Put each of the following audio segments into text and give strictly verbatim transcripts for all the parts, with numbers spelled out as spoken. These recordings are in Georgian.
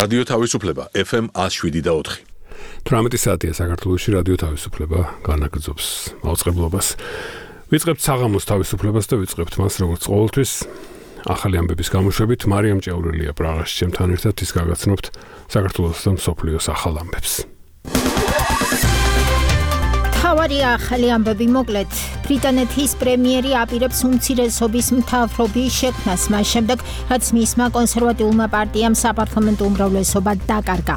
რადიო თავისუფლება ეფ ემ ათს შვიდი და ოთხი. თვრამეტი საათია საქართველოში რადიო თავისუფლება განაგრძობს მაუწყებლობას. ვიწყებთ საღამოს თავისუფლებას და ვიწყებთ მას როგორც ყოველთვის ახალი ამბების გამოშვებით. მარიამ ჭეურელია პრაღაში ჩემთან ერთად ის გაგაცნობთ საქართველოს და მსოფლიოს ახალ ამბებს. თავარი ახალი ამბები მოკლედ. ბრიტანეთის პრემიერი აპირებს უმცირესობის მთავრობის შექმნას მას შემდეგ, რაც მისმა კონსერვატიულმა პარტიამ საპარლამენტო უმრავლესობა დაკარგა.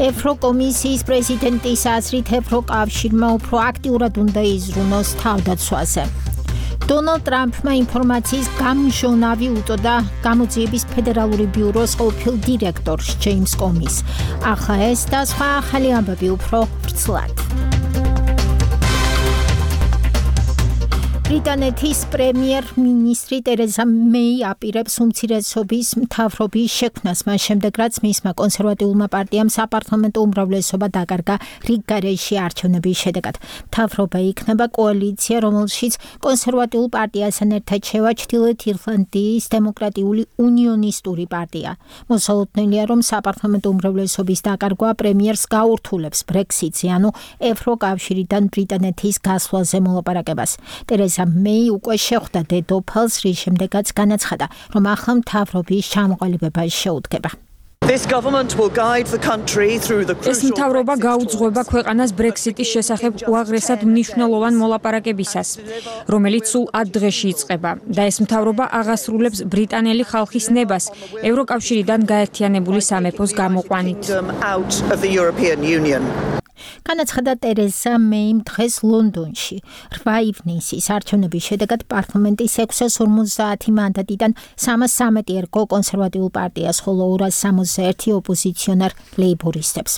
ევროკომისიის პრეზიდენტის აზრით ევროკავშირმა უფრო აქტიურად უნდა იზრუნოს თავდაცვაზე. დონალდ ტრამპმა ინფორმაციის გამჟონავი უწოდა გამოძიების ფედერალური ბიუროს ყოფილ დირექტორს ჯეიმს კომის. ახლა ეს და სხვა ახალი ამბები უფრო ვრცლად. ბრიტანეთის პრემიერ-მინისტრი ტერეზა მეი აპირებს უმცირესობის მთავრობის შექმნას მას შემდეგ, რაც მისმა კონსერვატიულმა პარტიამ საპარლამენტო უმრავლესობა დაკარგა რიგ გარეშე არჩევნების შედეგად. მთავრობა იქნება კოალიცია, რომელშიც კონსერვატიულ პარტიასთან ერთად შევა ჩრდილოეთ ირლანდიის დემოკრატიული უნიონისტური პარტია. მოსალოდნელია, რომ საპარლამენტო უმრავლესობის დაკარგვა პრემიერს გაურთულებს ბრექსიტზე, ანუ ევროკავშირიდან ბრიტანეთის გასვლაზე მოლაპარაკებას. ტერეზა მეი უკვე შეხვდა დედოფალს, რის შემდეგაც განაცხადა, რომ ახლა მთავრობის ჩამოყალიბება შეუდგება. ეს მთავრობა გაუძღვება ქვეყანას ბრექსიტის შესახებ უაღრესად მნიშვნელოვან მოლაპარაკებისას, რომელიც სულ ათ დღეში იწყება და ეს მთავრობა აღასრულებს ბრიტანელი ხალხის ნებას ევროკავშირიდან გაერთიანებული სამეფოს გამოყვანით. განაცხადა ტერეზა მეიმ დღეს ლონდონში. რვა ივნისის არჩევნების შედეგად პარლამენტის ექვსას ორმოცდაათი მანდატიდან სამას სამეტი ერგო კონსერვატიულ პარტიას, ხოლო ორას სამოცდა ერთი ოპოზიციონარ ლეიბორისტებს.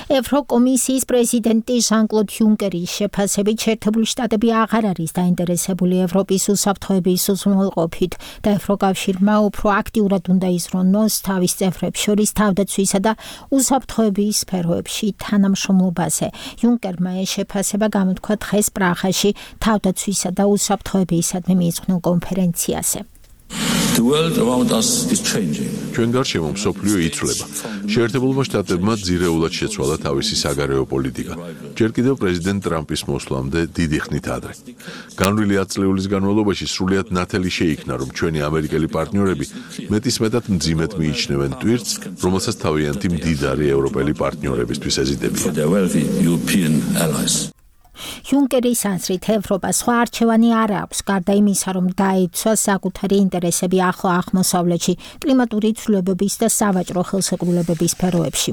ევროკომისიის პრეზიდენტი ჟან-კლოდ იუნკერის შეფასებით შეერთებული შტატები აღარ არის დაინტერესებული ევროპის უსაფრთხოების უზრუნველყოფით და ევროკავშირმა უფრო აქტიურად უნდა იზრუნოს თავის წევრებს შორის თავდაცვისა და უსაფრთხოების სფეროებში თანამშრომლობაზე. იუნკერმა ეს შეფასება გამოთქვა დღეს პრაღაში თავდაცვისა და უსაფრთხოებისადმი მიძღვნილ კონფერენციაზე. ჩვენ გარშემო მსოფლიო იცვლება. შეერთებულმა შტატებმა ძირეულად შეცვალა თავისი საგარეო პოლიტიკა. ჯერ კიდევ პრეზიდენტ ტრამპის მოსვლამდე დიდი ხნით ადრე. განვლილი ათ წლეულის განმავლობაში სრულიად ნათელი შეიქმნა, რომ ჩვენი ამერიკელი პარტნიორები მეტისმეტად მძიმედ მიიჩნევენ ტვირთს, რომელსაც თავიანთი მდიდარი ევროპელი პარტნიორებისთვის ეზიდებიან. იუნკერის აზრით ევროპა სხვა არჩევანი არ აქვს, გარდა იმისა, რომ დაიცვა საკუთარი ინტერესები ახლო აღმოსავლეთში, კლიმატური ცვლილებების და სავაჭრო ხელშეკრულებების სფეროებში.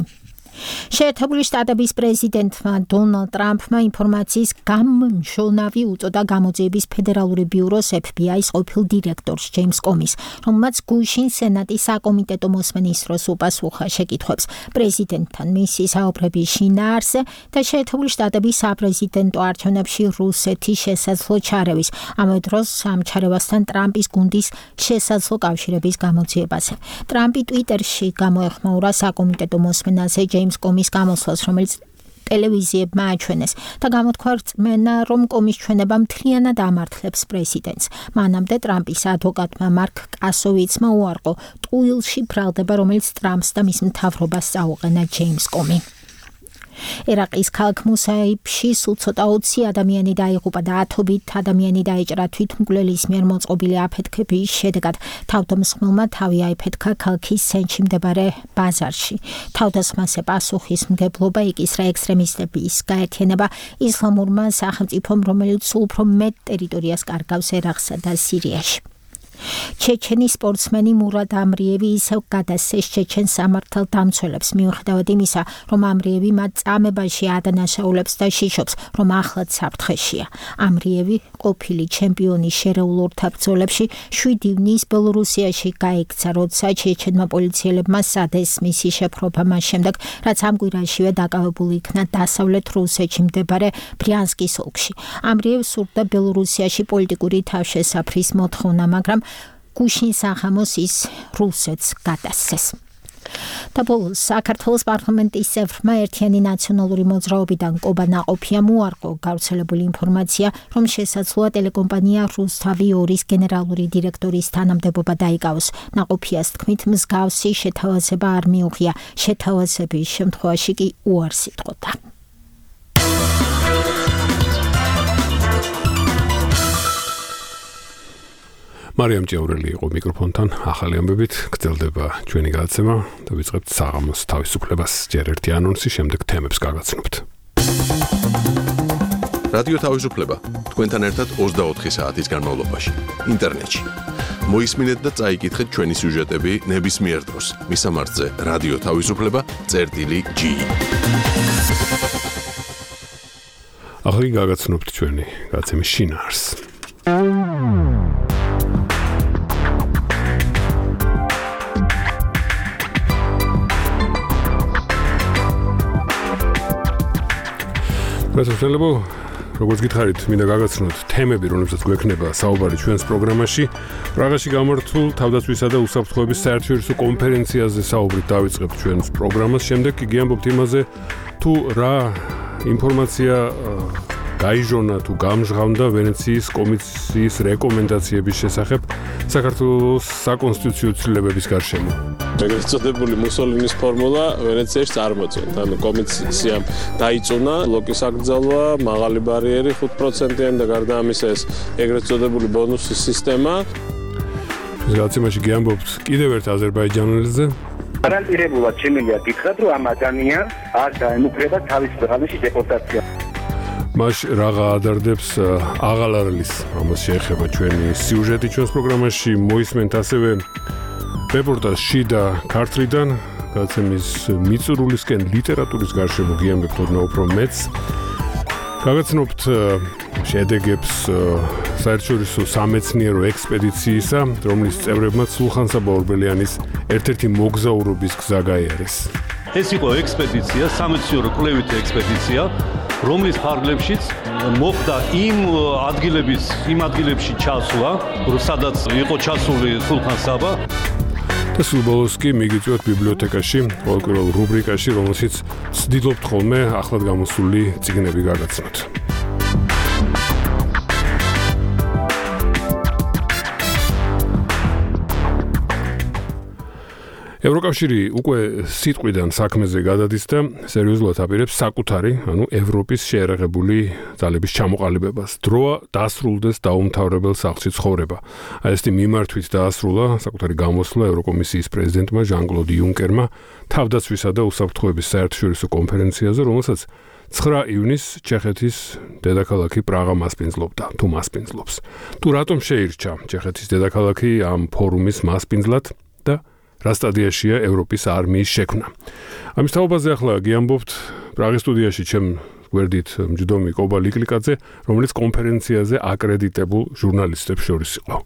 შეერთებული შტატების პრეზიდენტმა დონალდ ტრამპმა ინფორმაციის გამჟონავი უწოდა გამოძიების ფედერალური ბიუროს ეფ ბი აის ყოფილ დირექტორს ჯეიმს კომის, რომელმაც გუშინ სენატის საკომიტეტო მოსმენის დროს უპასუხა შეკითხვებს პრეზიდენტთან მისი საუბრების შინაარსზე და შეერთებული შტატების საპრეზიდენტო არჩევნებში რუსეთის შესაძლო ჩარევის, ამავე დროს ამ ჩარევასთან ტრამპის გუნდის შესაძლო კავშირების გამოძიებაზე. ტრამპი ტვიტერში გამოეხმაურა საკომიტეტო მოსმენაზე ჯეიმს კომის გამოსვლას, რომელიც ტელევიზიებმა აჩვენეს და გამოთქვა რწმენა, რომ კომის ჩვენება მთლიანად ამართლებს პრეზიდენტს. მანამდე ტრამპის ადვოკატმა მარკ კასოვიცმა უარყო ტყუილში ბრალდება, რომელიც ტრამპს და მის მთავრობას წაუყენა ჯეიმს კომი. ერაყის ქალაქ მუსაიბში სულ ცოტა ოცი ადამიანი დაიღუპა და ათობით ადამიანი დაეჭრა თვითმკვლელის მიერ მოწყობილი აფეთქების შედეგად. თავდამსხმელმა თავი აიფეთქა ქალაქის ცენტრში მდებარე ბაზარში. თავდასხმაზე პასუხისმგებლობა იკისრა ექსტრემისტების გაერთიანება ისლამურმა სახელმწიფომ, რომელიც სულ უფრო მეტ ტერიტორიას კარგავს ერაყსა და სირიაში. ჩეჩენი სპორტსმენი მურად ამრიევი ისევ გადასცეს ჩეჩენ სამართალდამცველებს, მიუხედავად იმისა, რომ ამრიევი მათ წამებაში ადანაშაულებს და შიშობს, რომ ახლაც საფრთხეშია. ამრიევი ყოფილი ჩემპიონი შერეულ ორთაბრძოლებში შვიდი ივნისს ბელორუსიაში გაიქცა, როცა ჩეჩენმა პოლიციელებმა სადეს მისი შეფრობა მას შემდეგ, რაც ამ კვირაშივე დაკავებული იქნა დასავლეთ რუსეთში მდებარე ბრიანსკის ოლქში. ამრიევს სურდა ბელორუსიაში პოლიტიკური თავშესაფრის მოთხოვნა, მაგრამ გუშინ სახამოს ის რუსეთს გადასცეს. და ბოლოს საქართველოს პარლამენტის წევრმა ერთიანი ნაციონალური მოძრაობიდან კობა ნაყოფიამ უარყო გავრცელებული ინფორმაცია, რომ შესაძლოა ტელეკომპანია რუსთავი ორის გენერალური დირექტორის თანამდებობა დაიკავოს. ნაყოფიას თქმით, მსგავსი შეთავაზება არ მიუღია, შეთავაზების შემთხვევაში კი უარს იტყოდა. მარიამ ჭეურელი იყო მიკროფონთან, ახალი ამბებით გრძელდება ჩვენი გადაცემა და ვიწყებთ საღამოს თავისუფლებას. ჯერ ერთი ანონსი, შემდეგ თემებს გაგაცნობთ. რადიო თავისუფლება თქვენთან ერთად ოცდაოთხი საათის განმავლობაში ინტერნეტში. მოისმინეთ და წაიკითხეთ ჩვენი სიუჟეტები ნებისმიერ დროს. მისამართზე რადიო თავისუფლება წერტილი ჯი. ახლა გაგაცნობთ ჩვენი გადაცემის შინაარს. გასასვლელო, როგორც გითხარით, მინდა გაგაცნოთ თემები, რომლებსაც გვექნება საუბარი ჩვენს პროგრამაში. პრაღაში გამართულ თავდაცვისა და უსაფრთხოების საერთაშორისო კონფერენციაზე საუბრით დავიწყებთ ჩვენს პროგრამას. შემდეგ კი გიამბობთ იმაზე, თუ რა ინფორმაცია გაიჟონა თუ გამჟღავნდა ვენეციის კომისიის რეკომენდაციების შესახებ საქართველოს საკონსტიტუციო ცვლილებების გარშემო. ეგრეთ წოდებული მუსოლინის ფორმულა ვენეციაში წარმოწევთ. ანუ კომისიამ დაიწუნა ბლოკის აკრძალვა, მაღალი ბარიერი ხუთ პროცენტიანი და გარდა ამისა ეს ეგრეთ წოდებული ბონუსის სისტემა. ეს გადაცემაში გიამბობთ კიდევ ერთ აზერბაიჯანელზე. გარანტირებულად შემიძლია გითხრათ, რომ ამ ადამიანს არ დაემუქრება თავის ქვეყანაში დეპორტაცია. მას რაღა ადარდებს აღალარლის, რომელს შეეხება ჩვენი სიუჟეტი ჩვენს პროგრამაში. მოისმენთ ასევე რეპორტაჟ შიდა ქართლიდან, გადაცემის მიწურულისკენ ლიტერატურის გარშემო გიამბებთ ოდნავ უფრო მეც. გაგაცნობთ შედეგებს საერთაშორისო სამეცნიერო ექსპედიციისა, რომლის წევრებმა სულხან-საბა ორბელიანის ერთ-ერთი მოგზაურობის გზა გაიარეს. ეს იყო ექსპედიცია, სამეცნიერო კვლევითი ექსპედიცია, რომლის ფარგლებშიც მოხდა იმ ადგილების, იმ ადგილებში ჩასვლა, სადაც იყო ჩასული სულხან-საბა. და სულ ბოლოს კი მიგიწვევთ ბიბლიოთეკაში, ყოველკვირეულ რუბრიკაში, რომელშიც ვცდილობთ ხოლმე ახლად გამოსული წიგნები გაგაცნოთ. ევროკავშირი უკვე სიტყვიდან საქმეზე გადადის და სერიოზულად აპირებს საკუთარი, ანუ ევროპის შეერაღებული ძალების ჩამოყალიბებას. დროა დასრულდეს დაუმთავრებელ სახლში ცხოვრება. აი ესეთი მიმართვით დაასრულა საკუთარი გამოსვლა ევროკომისიის პრეზიდენტმა ჟან-კლოდ იუნკერმა თავდაცვისა და უსაფრთხოების საერთაშორისო კონფერენციაზე, რომელსაც ცხრა ივნისს ჩეხეთის დედაქალაქი პრაღა მასპინძლობდა, თუ მასპინძლობს. თუ რატომ შეირჩა ჩეხეთის დედაქალაქი ამ ფორუმის მასპინძლად და რა სტადიაშია ევროპის არმიის შექმნა. ამის თაობაზე ახლა გიამბობთ პრაღის სტუდიაში ჩემ გვერდით მჯდომი კობა ლიკლიკაძე, რომელიც კონფერენციაზე აკრედიტებულ ჟურნალისტებს შორის იყო.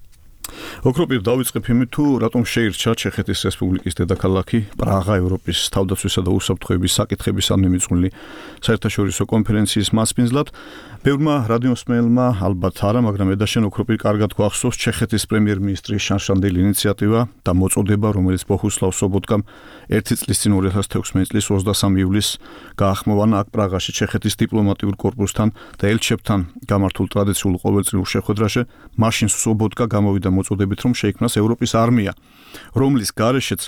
ოქროპირ დავიწყებ იმით, თუ რატომ შეირჩა ჩეხეთის რესპუბლიკის დედაქალაქი პრაღა ევროპის თავდაცვისა და უსაფრთხოების საკითხებისადმი მიძღვნილი საერთაშორისო კონფერენციის მასპინძლად. ბევრმა რადიოსმენელმა ალბათ არა, მაგრამ ედაშენ ოქროპირ კარგად გვახსოვს ჩეხეთის პრემიერ-მინისტრის შანშანდელი ინიციატივა და მოწოდება, რომელიც ბოჰუსლავ სობოტკამ ერთი წლის წინ ორი ათას თექვსმეტი წლის ოცდასამი ივლისს გაახმოვანა აქ პრაღაში ჩეხეთის დიპლომატიურ კორპუსთან და ელჩებთან გამართულ ტრადიციულ ყოველწლიურ შეხვედრაში. მაშინ სობოტკა გამოვიდა მოწოდებით, რომ შეიქმნას ევროპის არმია, რომლის გარეშეც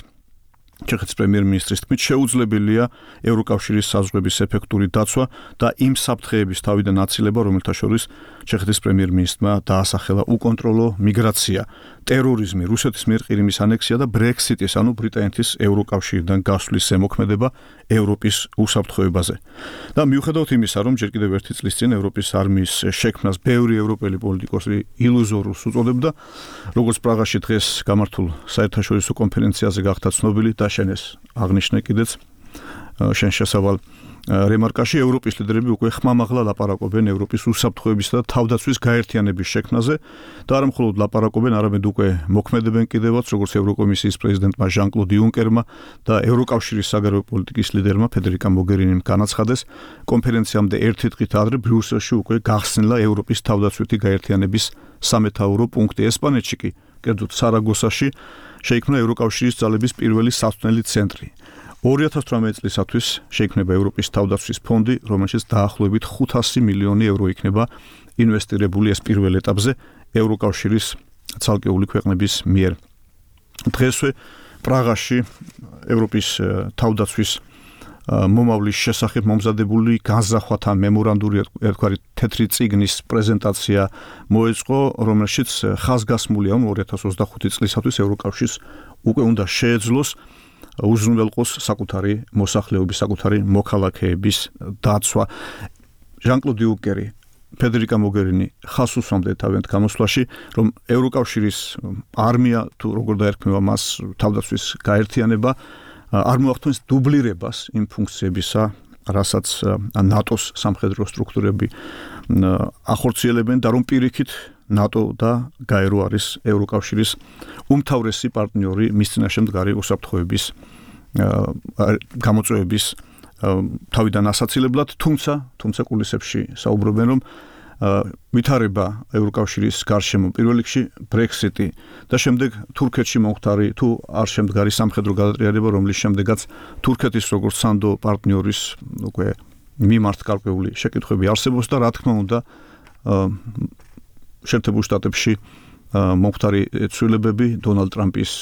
ჩეხეთის პრემიერ-მინისტრის თქმით შეუძლებელია ევროკავშირის საზღვრების ეფექტური დაცვა და იმ საფრთხეების თავიდან აცილება, რომელთა შორის ჩეხეთის პრემიერ-მინისტრმა დაასახელა უკონტროლო მიგრაცია, ტერორიზმი, რუსეთის მიერ ყირიმის ანექსია და ბრექსიტის, ანუ ბრიტანეთის ევროკავშირიდან გასვლის ზემოქმედება ევროპის უსაფრთხოებაზე. და მიუხედავად იმისა, რომ ჯერ კიდევ ერთი წლის წინ ევროპის არმიის შექმნას ბევრი ევროპელი პოლიტიკოსი ილუზორულს უწოდებდა, როგორც პრაღაში დღეს გამართულ საერთაშორისო კონფერენციაზე გახდა ცნობილი და შენ ეს აღნიშნე კიდეც შენ შესავალ რემარკაში, ევროპის ლიდერები უკვე ხმამაღლა ლაპარაკობენ ევროპის უსაფრთხოებისა და თავდაცვის გაერთიანების შექმნაზე და არა მხოლოდ ლაპარაკობენ, არამედ უკვე მოქმედებენ კიდევაც, როგორც ევროკომისიის პრეზიდენტმა ჟან-კლოდ იუნკერმა და ევროკავშირის საგარეო პოლიტიკის ლიდერმა ფედერიკა მოგერინიმ განაცხადეს, კონფერენციამდე ერთი დღით ადრე ბრიუსელში უკვე გახსნილა ევროპის თავდაცვითი გაერთიანების სამეთაურო პუნქტი. ესპანეთში კი კერძოდ სარაგოსაში შეიქმნა ევროკავშირის ძალების პირველი სასწავლელი ცენტრი. ორი ათას თვრამეტი წლისათვის შეიქმნება ევროპის თავდაცვის ფონდი, რომელშიც დაახლოებით ხუთასი მილიონი ევრო იქნება ინვესტირებული ეს პირველ ეტაპზე ევროკავშირის ცალკეული ქვეყნების მიერ. დღესვე პრაღაში ევროპის თავდაცვის მომავლის შესახებ მომზადებული განზრახვათა მემორანდუმი ერთგვარი თეთრი წიგნის პრეზენტაცია მოეწყო, რომელშიც ხაზგასმულია ორი ათას ოცდახუთი წლისათვის ევროკავშირს უკვე უნდა შეეძლოს უზრუნველყოს საკუთარი მოსახლეობის, საკუთარი მოქალაქეების დაცვა. ჟან-კლოდ იუნკერი, ფედერიკა მოგერინი ხას უსვამდნენ თავიანთ გამოსვლაში, რომ ევროკავშირის არმია თუ როგორ დაერქმევა მას თავდაცვის გაერთიანება არ მოახდენს დუბლირებას იმ ფუნქციებისა, რასაც ნატოს სამხედრო სტრუქტურები ახორციელებენ და რომ პირიქით ნატო და გაერო არის ევროკავშირის უმთავრესი პარტნიორი მის წინაშე მდგარი უსაფრთხოების გამოწვევების თავიდან ასაცილებლად, თუმცა თუმცა კულისებში საუბრობენ, რომ ვითარება ევროკავშირის გარშემო პირველ რიგში ბრექსიტი და შემდეგ თურქეთში მომხდარი თუ არ შემდგარი სამხედრო გადატრიალება, რომლის შემდეგაც თურქეთის როგორც სანდო პარტნიორის უკვე მიმართ გარკვეული შეკითხვები არსებობს და რა თქმა უნდა შეერთებულ შტატებში მომხდარი ცვლილებები, დონალდ ტრამპის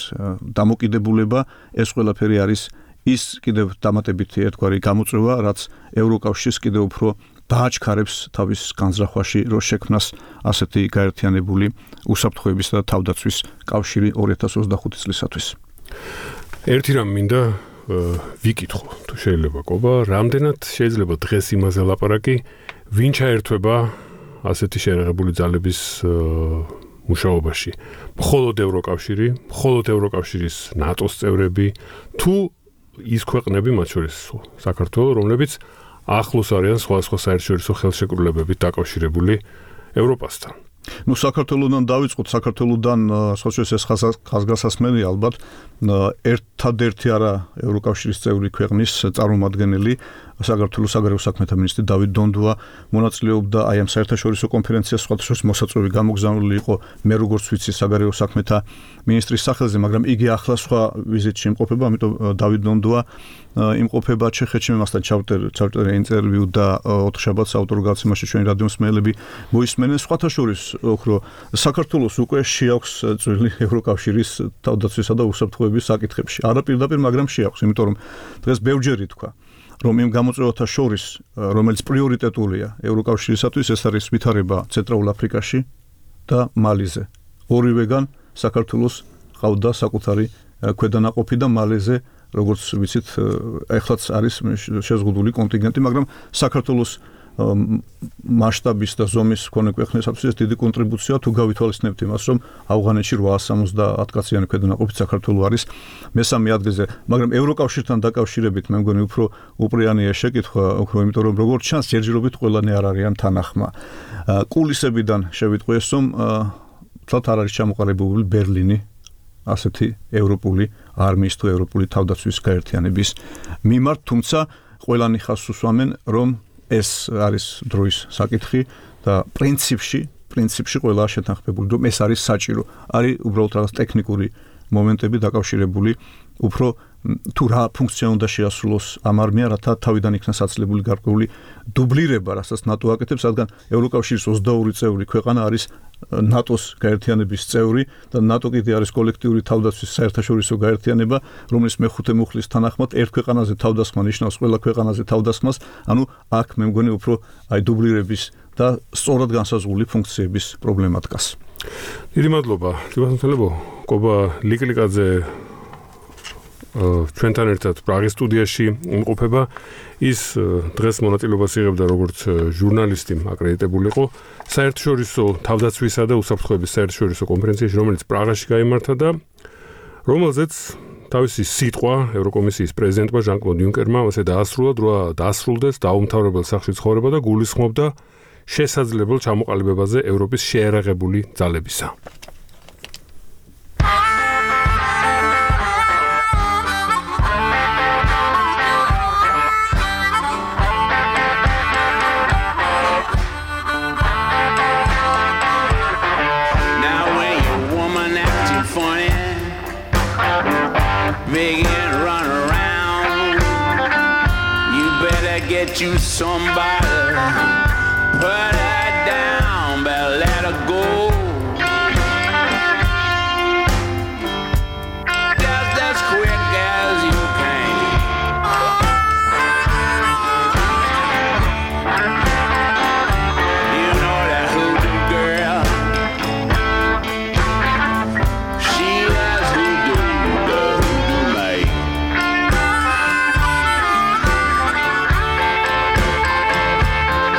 დამოკიდებულება, ეს ყველაფერი არის ის კიდევ დამატებითი ერთგვარი გამოწვევა, რაც ევროკავშირს კიდევ უფრო დააჩქარებს თავის განზრახვაში, რომ შექმნას ასეთი გაერთიანებული უსაფრთხოების და თავდაცვის კავშირი ორი ათას ოცდახუთი წლისათვის. ერთი რამ მინდა ვიკითხო, თუ შეიძლება კობა, რამდენად შეიძლება დღეს იმაზე ლაპარაკი, ვინ ჩაერთვება ასეთი შეერაღებული ძალების მუშაობაში. მხოლოდ ევროკავშირი, მხოლოდ ევროკავშირის ნატოს წევრები, თუ ის ქვეყნები, მათ შორის საქართველო, რომლებიც ახლოს არიან სხვადასხვა საერთაშორისო ხელშეკრულებებით დაკავშირებული ევროპასთან. ნუ საქართველოდან დავიწყოთ, საქართველოდან სხვა შორის ეს ხაზგასასმელი ალბათ ერთადერთი არა ევროკავშირის წევრი ქვეყნის წარმომადგენელი საქართველოს საგარეო საქმეთა მინისტრი დავით დონდუა მონაწილეობდა აი ამ საერთაშორისო კონფერენციას, სხვა შორის მოსაწვევი გამოგზავნილი იყო მე როგორც ვიცი საგარეო საქმეთა მინისტრის სახელზე, მაგრამ იგი ახლა სხვა ვიზიტში იმყოფება, ამიტომ დავით დონდუა იმყოფება ჩეხეთში, მე მასთან ჩავწერე ინტერვიუ და ოთხშაბათს ავტორ გაცემაში ჩვენი რადიო მსმენელები მოისმენენ. სხვათა შორის ოქრო საქართველოს უკვე შეაქვს წვლილი ევროკავშირის თავდაცვისა და უსაფრთხოების საკითხებში. არა პირდაპირ, მაგრამ შეაქვს, იმიტომ რომ დღეს ბევრჯერ ითქვა, რომ იმ გამოწვევათა შორის, რომელიც პრიორიტეტულია ევროკავშირისათვის, ეს არის ვითარება ცენტრალურ აფრიკაში და მალიზე. ორივეგან საქართველოს ყავდა საკუთარი ქვედანაყოფი და მალეზე, როგორც ვიცით, ეხლაც არის შეზღუდული კონტინგენტი, მაგრამ საქართველოს მასშტაბის და ზომის მქონე ქვეყნისათვის ეს დიდი კონტრიბუცია, თუ გავითვალისწინებთ იმას, რომ ავღანეთში რვაას სამოცდაათ კაციანი ქვედანაყოფით საქართველო არის მესამე ადგილზე, მაგრამ ევროკავშირთან დაკავშირებით მე მგონი უფრო უპრიანია შეკითხვა, უფრო იმიტომ რომ როგორც ჩანს, ჯერჯერობით ყველანი არ არიან თანახმა. კულისებიდან შევიტყვიეს, რომ თლათ არ არის ჩამოყალიბებული ბერლინი ასეთი ევროპული არმიის თუ ევროპული თავდაცვის გაერთიანების მიმართ, თუმცა ყველანი ხაზს უსვამენ, რომ ეს არის დროის საკითხი და პრინციპში, პრინციპში ყველა შეთანხმებული, რომ ეს არის საჭირო. არის უბრალოდ რაღაც ტექნიკური მომენტები დაკავშირებული უფრო თუ რა ფუნქცია უნდა შეასრულოს ამ არმია, რათა თავიდან იქნას აცილებული გარკვეული დუბლირება, რასაც ნატო აკეთებს, რადგან ევროკავშირის ოცდაორი წევრი ქვეყანა არის ნატოს გაერთიანების წევრი და ნატო კიდე არის კოლექტიური თავდაცვის საერთაშორისო გაერთიანება, რომლის მეხუთე მუხლის თანახმად ერთ ქვეყანაზე თავდასხმა ნიშნავს ყველა ქვეყანაზე თავდასხმას, ანუ აქ მე მგონი უფრო აი დუბლირების და სწორად განსაზღვრული ფუნქციების პრობლემა დგას. დიდი მადლობა. თვითმფრინალებო, კობა ლიკლიკაძე ჩვენთან ერთად პრაღის სტუდიაში იმყოფება. ის დღეს მონაწილეობას იღებდა როგორც ჟურნალისტი, აკრედიტებული იყო საერთაშორისო თავდაცვისა და უსაფრთხოების საერთაშორისო კონფერენციაში, რომელიც პრაღაში გაიმართა და რომელზეც თავისი სიტყვა ევროკომისიის პრეზიდენტმა ჟან-კლოდ იუნკერმა ასე დაასრულა, რა დაასრულდეს დაუმთავრებელ სახლში ცხოვრება და გულისხმობდა შესაძლებელ ჩამოყალიბებაზე ევროპის შეერაღებული ძალებისა. Now when your woman acts bet you somebody put her down, better let her go. Just as quick as you can. You know that hoodoo girl. She was hoodoo, the hoodoo maid.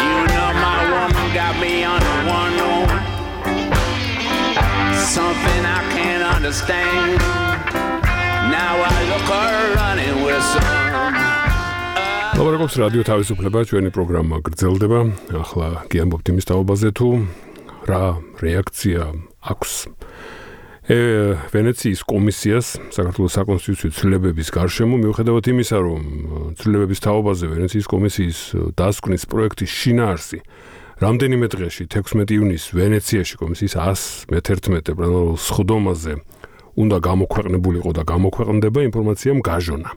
You know my woman got me on the one on something I can't understand. Now I look her running with some. ლაბორატორიის რადიო თავისუფლება ჩვენი პროგრამა გრძელდება. ახლა გიამბობთ იმის თაობაზე თუ რა რეაქცია აქვს ვენეციის კომისიას საქართველოს საკონსტიტუციო ცვლილებების გარშემო მიუხედავად იმისა, რომ ცვლილებების თაობაზე ვენეციის კომისიის დასკვნის პროექტის შინაარსი რამდენიმე დღეში თექვსმეტი ივნისს ვენეციაში კომისიის εκατო მეთერთმეტე პლენარულ სხდომაზე უნდა გამოქვეყნებულიყო და გამოქვეყნდება ინფორმაციამ გაჟონა.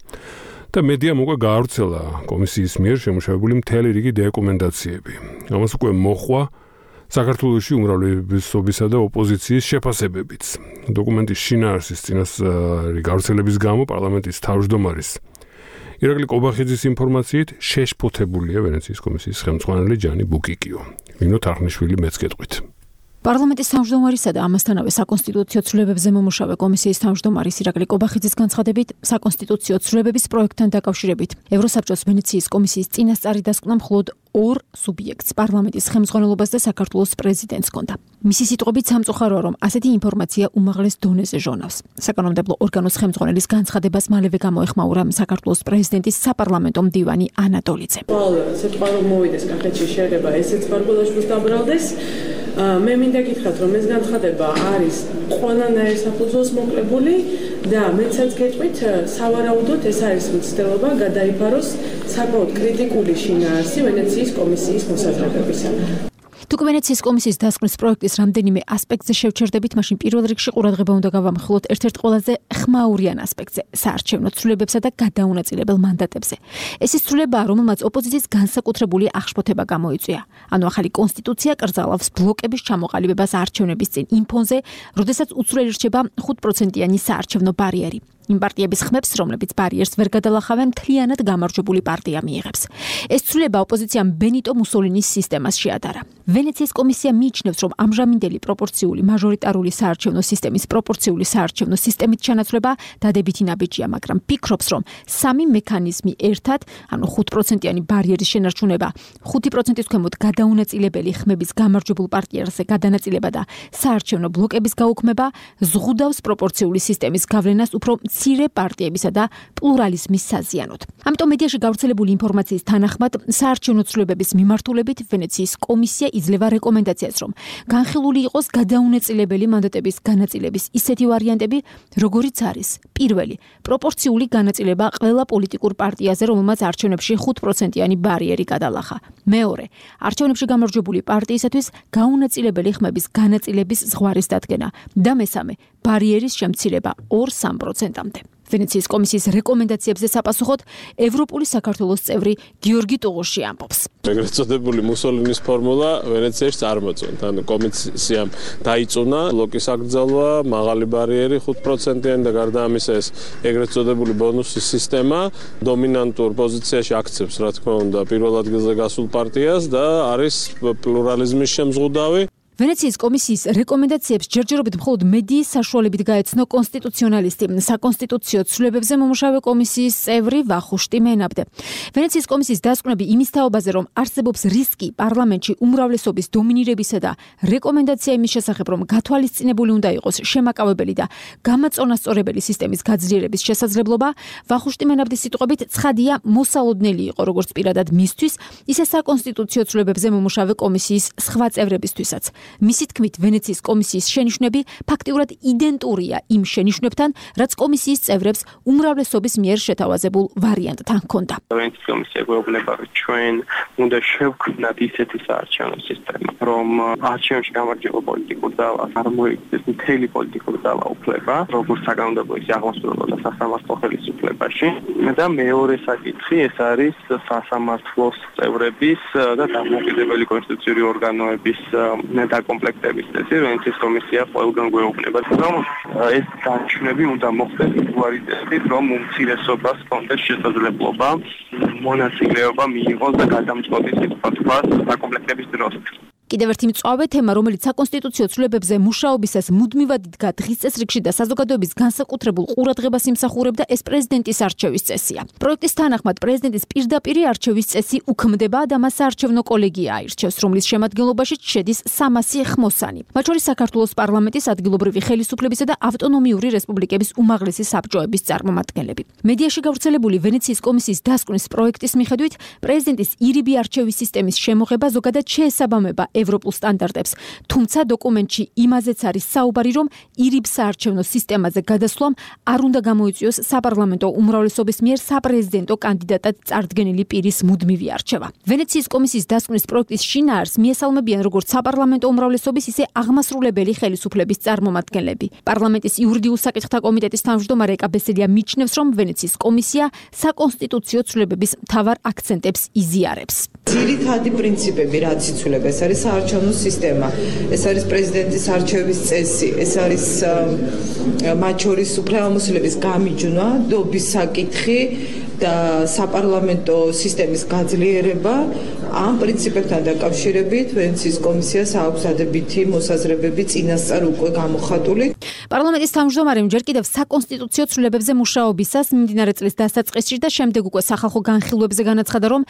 და მედიამ უკვე გაავრცელა კომისიის მიერ შემუშავებული მთელი რიგი დოკუმენტაციები. ამას უკვე მოხვა საქართველოში უმრავლესობისა და ოპოზიციის შეფასებებიც. დოკუმენტის შინაარსის წინასწარი გავრცელების გამო პარლამენტის თავმჯდომარის ირაკლი კობახიძის ინფორმაციით შეშფოთებულია ვენეციის კომისიის ხელმძღვანელი ჯანი ბუკიკიო. ნინო თარხნიშვილი მეც გეტყვით. პარლამენტის თავმჯდომარისა და ამასთანავე საკონსტიტუციო ცვლილებებზე მომუშავე კომისიის თავმჯდომარის ირაკლი კობახიძის განცხადებით, საკონსტიტუციო ცვლილებების პროექტთან დაკავშირებით ევროსაბჭოს ვენეციის კომისიის წინასწარი დასკვნა მხოლოდ ორ სუბიექტს პარლამენტის ხელმძღვანელობას და საქართველოს პრეზიდენტს ჰქონდა. მისი სიტყვებით სამწუხაროა, რომ ასეთი ინფორმაცია უმაღლეს დონეზე ჟონავს. საკანონმდებლო ორგანოს ხელმძღვანელის განცხადებას მალევე გამოეხმაურა საქართველოს პრეზიდენტის საპარლამენტო მდივანი ანატოლიძე. სიტყვა რომ მოვიდეს კახეთში შეიძლება ესეც პარგოლაშვილს დაბრალდეს. მე მინდა გითხრათ, რომ ეს განცხადება არის ყველანაირ საფუძველს მოკლებული და მეცაც გეტყვით, სავარაუდოდ ეს არის მცდელობა გადაიფაროს საკმაოდ კრიტიკული შინაარსი ვენეციის კომისიის მოსაზრებებისა. თუ ვენეციის კომისიის დასკვნის პროექტის რამდენიმე ასპექტზე შევჩერდებით, მაშინ პირველ რიგში ყურადღება უნდა გავამახვილოთ ერთ-ერთ ყველაზე ხმაურიან ასპექტზე, საარჩევნო ცვლილებებსა და გადაუნაწილებელ მანდატებზე. ეს ის ცვლილებაა, რომელმაც ოპოზიციის განსაკუთრებული აღშფოთება გამოიწვია. ანუ ახალი კონსტიტუცია კრძალავს ბლოკების ჩამოყალიბებას არჩევნების წინ იმ ფონზე, როდესაც უცვლელი რჩება ხუთპროცენტიანი საარჩევნო ბარიერი. იმ პარტიების ხმებს, რომლებიც ბარიერს ვერ გადალახავენ, მთლიანად გამარჯვებული პარტია მიიღებს. ეს ცვლილება ოპოზიციამ ბენიტო მუსოლინის სისტემას შეადარა. ვენეციის კომისია მიიჩნევს, რომ ამჟამინდელი პროპორციული მაჟორიტარული საარჩევნო სისტემის პროპორციული საარჩევნო სისტემით ჩანაცვლება დადებითი ნაბიჯია, მაგრამ ფიქრობს, რომ სამი მექანიზმი ერთად, ანუ ხუთპროცენტიანი ბარიერის შენარჩუნება, ხუთი პროცენტის ქვემოთ გადაუნაწილებელი ხმების გამარჯვებულ პარტიაზე გადანაწილება და საარჩევნო ბლოკების გაუქმება ზღუდავს პროპორციული სისტემის გავლენას უფრო მცირე პარტიებისა და პლურალიზმის საზიანოდ. ამიტომ მედიაში გავრცელებული ინფორმაციის თანახმად, საარჩევნო ცვლილებების მიმართულებით ვენეციის კომისია იძლევა რეკომენდაციას, რომ განხილული იყოს გადაუნაწილებელი მანდატების განაწილების ისეთი ვარიანტები, როგორიც არის: პირველი, პროპორციული განაწილება ყველა პოლიტიკურ პარტიაზე, რომელმაც არჩევნებში ხუთპროცენტიანი ბარიერი გადალახა. მეორე, არჩევნებში გამარჯვებული პარტიისათვის გაუნაწილებელი ხმების განაწილების ზღვარის დადგენა და მესამე, ბარიერის შემცირება ორ სამ პროცენტამდე. ვენეციის კომისიის რეკომენდაციებზე საპასუხოდ ევროპული საქართველოს წევრი გიორგი ტუღუში ამბობს. ეგრეთ წოდებული მუსოლინის ფორმულა ვენეციაში წარმოწონთ. ანუ კომისიამ დაიწუნა ბლოკის აკრძალვა, მაღალი ბარიერი ხუთ პროცენტიანი და გარდა ამისა ეს ეგრეთ წოდებული ბონუსის სისტემა დომინანტურ პოზიციაში აქცევს, რა თქმა უნდა, პირველ ადგილზე გასულ პარტიას და არის პლურალიზმის შემზღუდავი. ვენეციის კომისიის რეკომენდაციებს ჯერჯერობით მხოლოდ მედიის საშუალებით გაეცნო კონსტიტუციონალისტი, საკონსტიტუციო ცვლილებებზე მომუშავე კომისიის წევრი ვახუშტი მენაბდე. ვენეციის კომისიის დასკვნები იმის თაობაზე, რომ არსებობს რისკი პარლამენტში უმრავლესობის დომინირებისა და რეკომენდაცია იმის შესახებ, რომ გათვალისწინებული უნდა იყოს შემაკავებელი და გამაწონასწორებელი სისტემის გაძლიერების შესაძლებლობა, ვახუშტი მენაბდის სიტყვებით ცხადია მოსალოდნელი იყო როგორც პირადად მისთვის, ისე საკონსტიტუციო ცვლილებებზე მომუშავე კომისიის სხვა წევრებისთვისაც. მისი თქმით, ვენეციის კომისიის შენიშვნები ფაქტიურად იდენტურია იმ შენიშვნებთან, რაც კომისიის წევრებს უმრავლესობის მიერ შეთავაზებულ ვარიანტთან ჰქონდა. ვენეციის კომისია გვეუბნება, რომ ჩვენ უნდა შევქმნათ ისეთი საარჩევნო სისტემა, რომ არჩევნებში გამარჯვება პოლიტიკურ ძალას არ მოიქცეს მთელი პოლიტიკური ძალა უფლება, როგორც საკანონმდებლო ისე აღმასრულებელ და სასამართლო ხელისუფლებაში. და მეორე საკითხი ეს არის სასამართლოს წევრების და დამოუკიდებელი კონსტიტუციური ორგანოების დაკომპლექტების წესი. ვენეციის კომისია ყველგან გვეუბნება, რომ ეს დანიშნები უნდა მოხდეს იგივე წესით, რომ უმცირესობას კონდეს შესაძლებლობა მონაწილეობა მიიღოს და გადამწყვეტის სიტყვას დაკომპლექტების დროს. კიდევ ერთი მწვავე თემა, რომელიც საკონსტიტუციო ცვლილებებზე მუშაობისას მუდმივად იდგა დღის წესრიგში და საზოგადოების განსაკუთრებულ ყურადღებას იმსახურებდა, ეს პრეზიდენტის არჩევის წესია. პროექტის თანახმად პრეზიდენტის პირდაპირი არჩევის წესი უქმდება და მას საარჩევნო კოლეგია აირჩევს, რომლის შემადგენლობაში შედის სამასი ხმოსანი. მათ შორის საქართველოს პარლამენტის ადგილობრივი ხელისუფლებისა და ავტონომიური რესპუბლიკების უმაღლესი საბჭოების წარმომადგენლები. მედიაში გავრცელებული ვენეციის კომისიის დასკვნის პროექტის მიხედვით, პრეზიდენტის ირიბი არჩევის სისტემის შემოღება ზოგადად შეესაბამება ევროპულ სტანდარტებს, თუმცა დოკუმენტში იმაზეც არის საუბარი, რომ ირიბ საარჩევნო სისტემაზე გადასვლამ არ უნდა გამოიწვიოს საპარლამენტო უმრავლესობის მიერ საპრეზიდენტო კანდიდატად წარდგენილი პირის მუდმივი არჩევა. ვენეციის კომისიის დასკვნის პროექტის შინაარს მიესალმებიან როგორც საპარლამენტო უმრავლესობის, ისე აღმასრულებელი ხელისუფლების წარმომადგენლები. პარლამენტის იურიდიულ საკითხთა კომიტეტის თავმჯდომარე ეკაბესელია მიჩნევს, რომ ვენეციის კომისია საკონსტიტუციო ცვლილებების მთავარ აქცენტებს იზიარებს. ძირითადი პრინციპები, რაც იცვლება, ეს არის საარჩევნო სისტემა, ეს არის პრეზიდენტის არჩევის წესი, ეს არის მათ შორის უფლებამოსილების გამიჯვნა, დობის საკითხი და საპარლამენტო სისტემის გაძლიერება. ამ პრინციპებთან დაკავშირებით ვენეციის კომისიას აქვს დადებითი მოსაზრებები წინასწარ უკვე გამოხატული. პარლამენტის თავმჯდომარემ ჯერ კიდევ საკონსტიტუციო ცვლილებებზე მუშაობისას მიმდინარე წლის დასაწყისში და შემდეგ უკვე სახალხო განხილვებზე განაცხადა, რომ